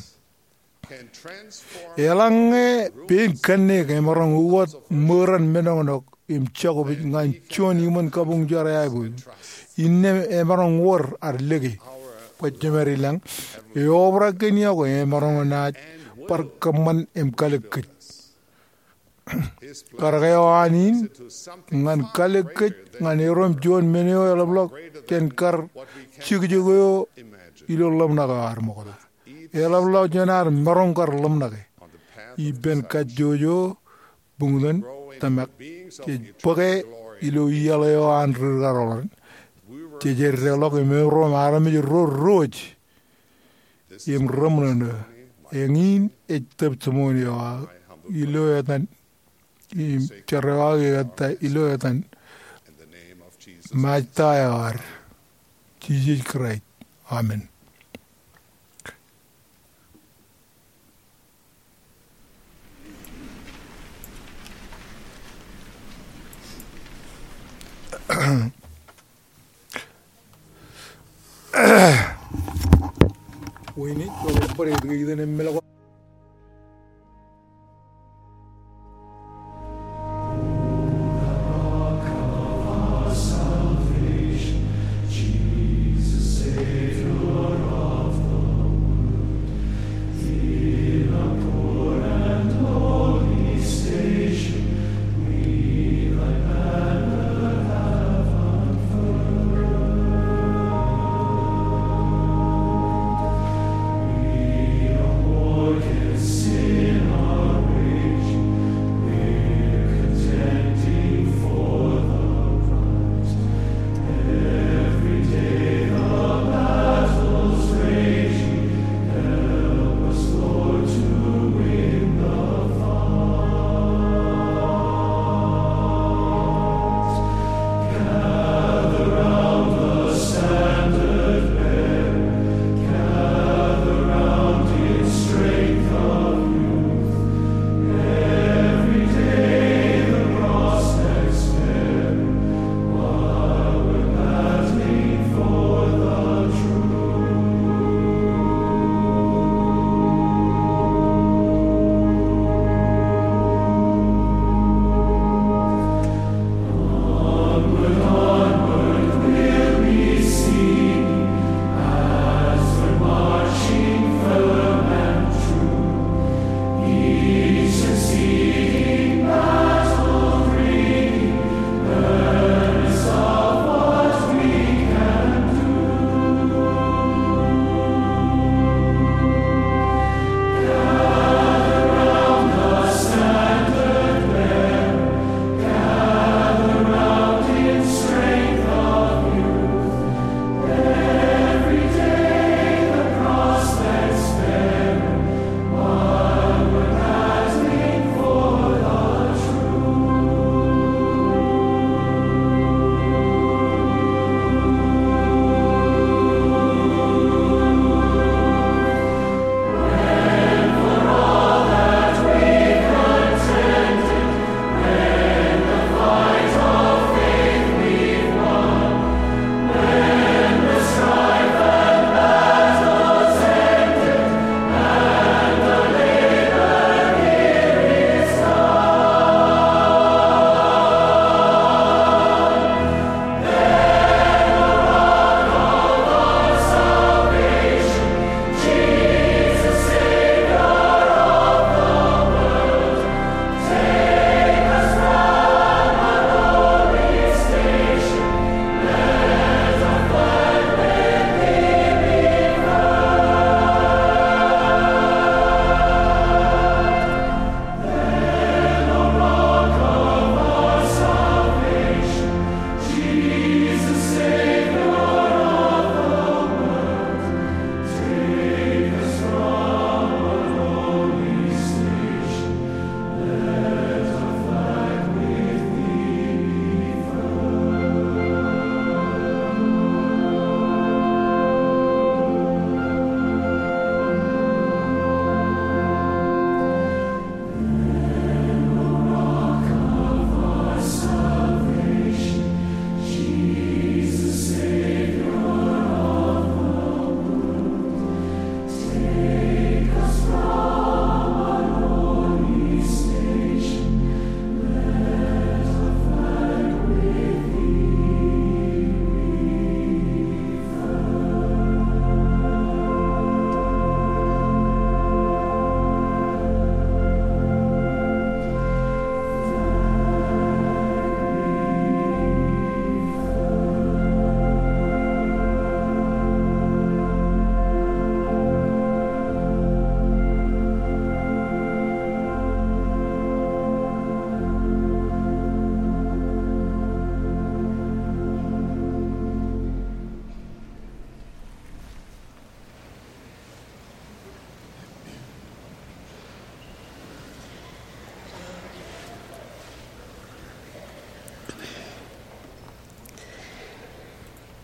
Eḷaññe pein kanniōk emaroñ ukot ṃōran menoñnok im jokpej ñan juon iṃōn kabuñjọr eaipōd, innām emaroñ wōr ad lōke bwe jemed ilañ eobrak kōn iọkwe emaroñ naaj bar kōṃṃan im kalōk kōj. Karōk eo an in ñan kalōk kōj ñan erom juon men eo eḷapḷọk jān kar jekjek eo ilo ḷōmṇak eo ad ṃokta. Eḷapḷọk jān ad maroñ kar ḷōmṇake. Ippān kajjojo buñtōn tōmak, jej bōke ilo iaḷ eo an ri rūkaḷoran. Jej eddeḷọk im erom armej ro diwōj im reṃōṇōṇō. Eñin ej testimony eo aō ilo etan, im jar eo aō ekkā ilo etan Mājta eo ad, Jisōs Kraist. Amen.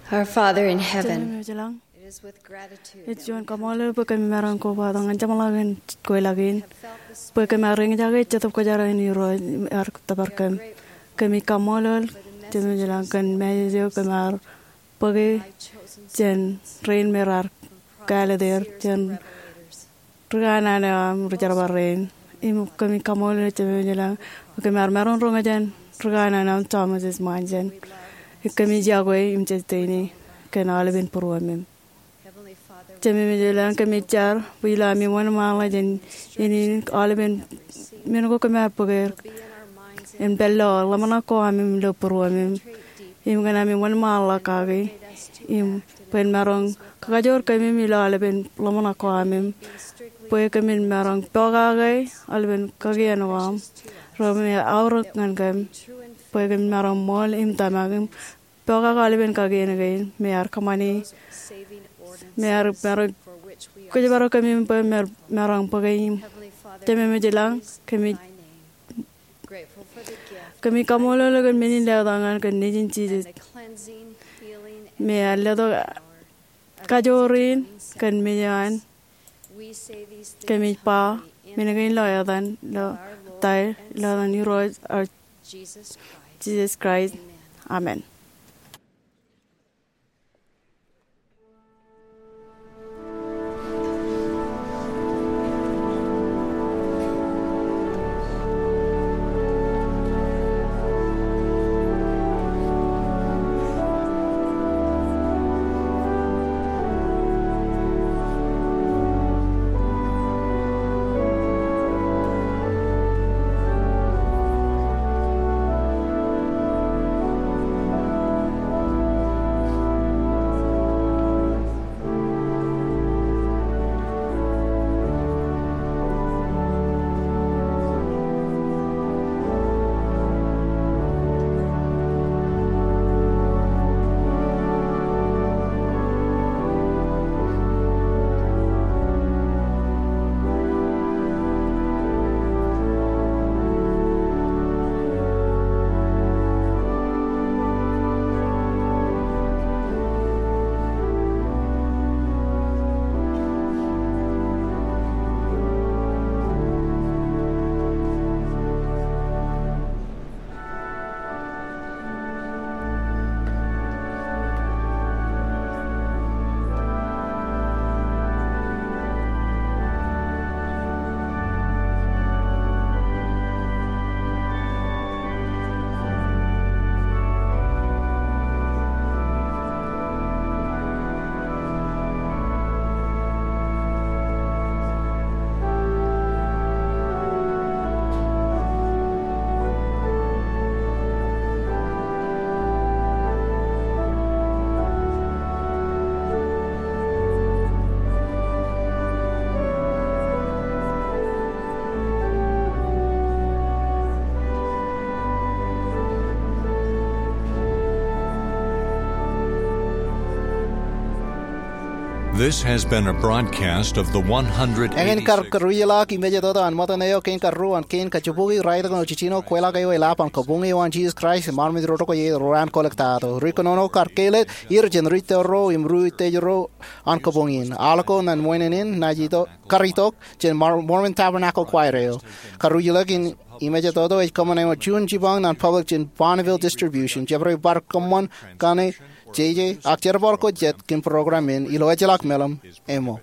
Our Father in heaven, Jemem eo ej ilañ, it is with gratitude ej juon kaṃṃoolol bwe kōmij maroñ kobatok ñan jeṃḷọkin kweilọk in bwe kōm ar eñjake Jetōb Kwōjarjar in Irooj im ear tōpar kōm. Kōmij kaṃṃoolol Jemem eo ej ilañ kōn message eo kōm ar bōke jān rein me raar kāālōt er jān ri kanaan eo aṃ ri jerbal rein. Im kōmij kaṃṃoolol Jemem eo ej ilañ bwe kōm ar maroñ roñjake ri kanaan eo aṃ Thomas S. Monson. Im kōmij iọkwe im jejjeini kōn aolepen būruōmim. Jemem eo ej ilañ, kōmij jar bwe ilo ami wōnṃaanḷọk jān iien in aolepen men ko kōm ar bōk er en pād ilo ḷōmṇak ko am im ilo būruōmim im kōn ami wōnṃaanḷọk kaki im bwe en maroñ kakajoor kōmim ilo aolepen ḷōmṇak ko am im bwe kōmin maroñ pokake aolepen kakien ko am ro me aorōk ñan kōm bwe kōmin maroñ ṃool im tōmak im pokake aolepen kakien kein me ear kōṃṃani me ear maroñ kōjparok kōmim bwe maroñ bōke im. Jemem eo ej ilañ, kōmij kōmij kaṃṃoolol eok kōn men in letok ñan kōn Nejin Jisōs me ear letok kajoor in kōn men eo an. Kōmij ba men kein ilo etan, ilo etan, ilo etan Irooj eo, Jisōs Kraist. Amen. This has been a broadcast of the one hundred eighty-six. Eñin kar karuj ḷọk im ej jet eo an ṃōttan eo kein kar ru an kein kajibukwi raeltok eo jijino kweilọk eo eḷap an kabuñ eo an Jisōs Kraist im armej ro itok ie ro raan kolōk ta eo. Ri kōnono kar kāālōt er jān ri tōl ro im ri utiej ro an kabuñ in. Aḷ ko ñan wāween in naaj itok kar itok jān Mormon Tabernacle Choir eo. Karuj ḷọk in im ej jet eo ej kōṃṃan eo juon jipañ ñan public jān Bonneville Distribution. Jabdewōt bar kōṃṃan kaṇe jeje ak jerbal ko jet kōn program in ilo ejjeḷọk meḷeṃ eo.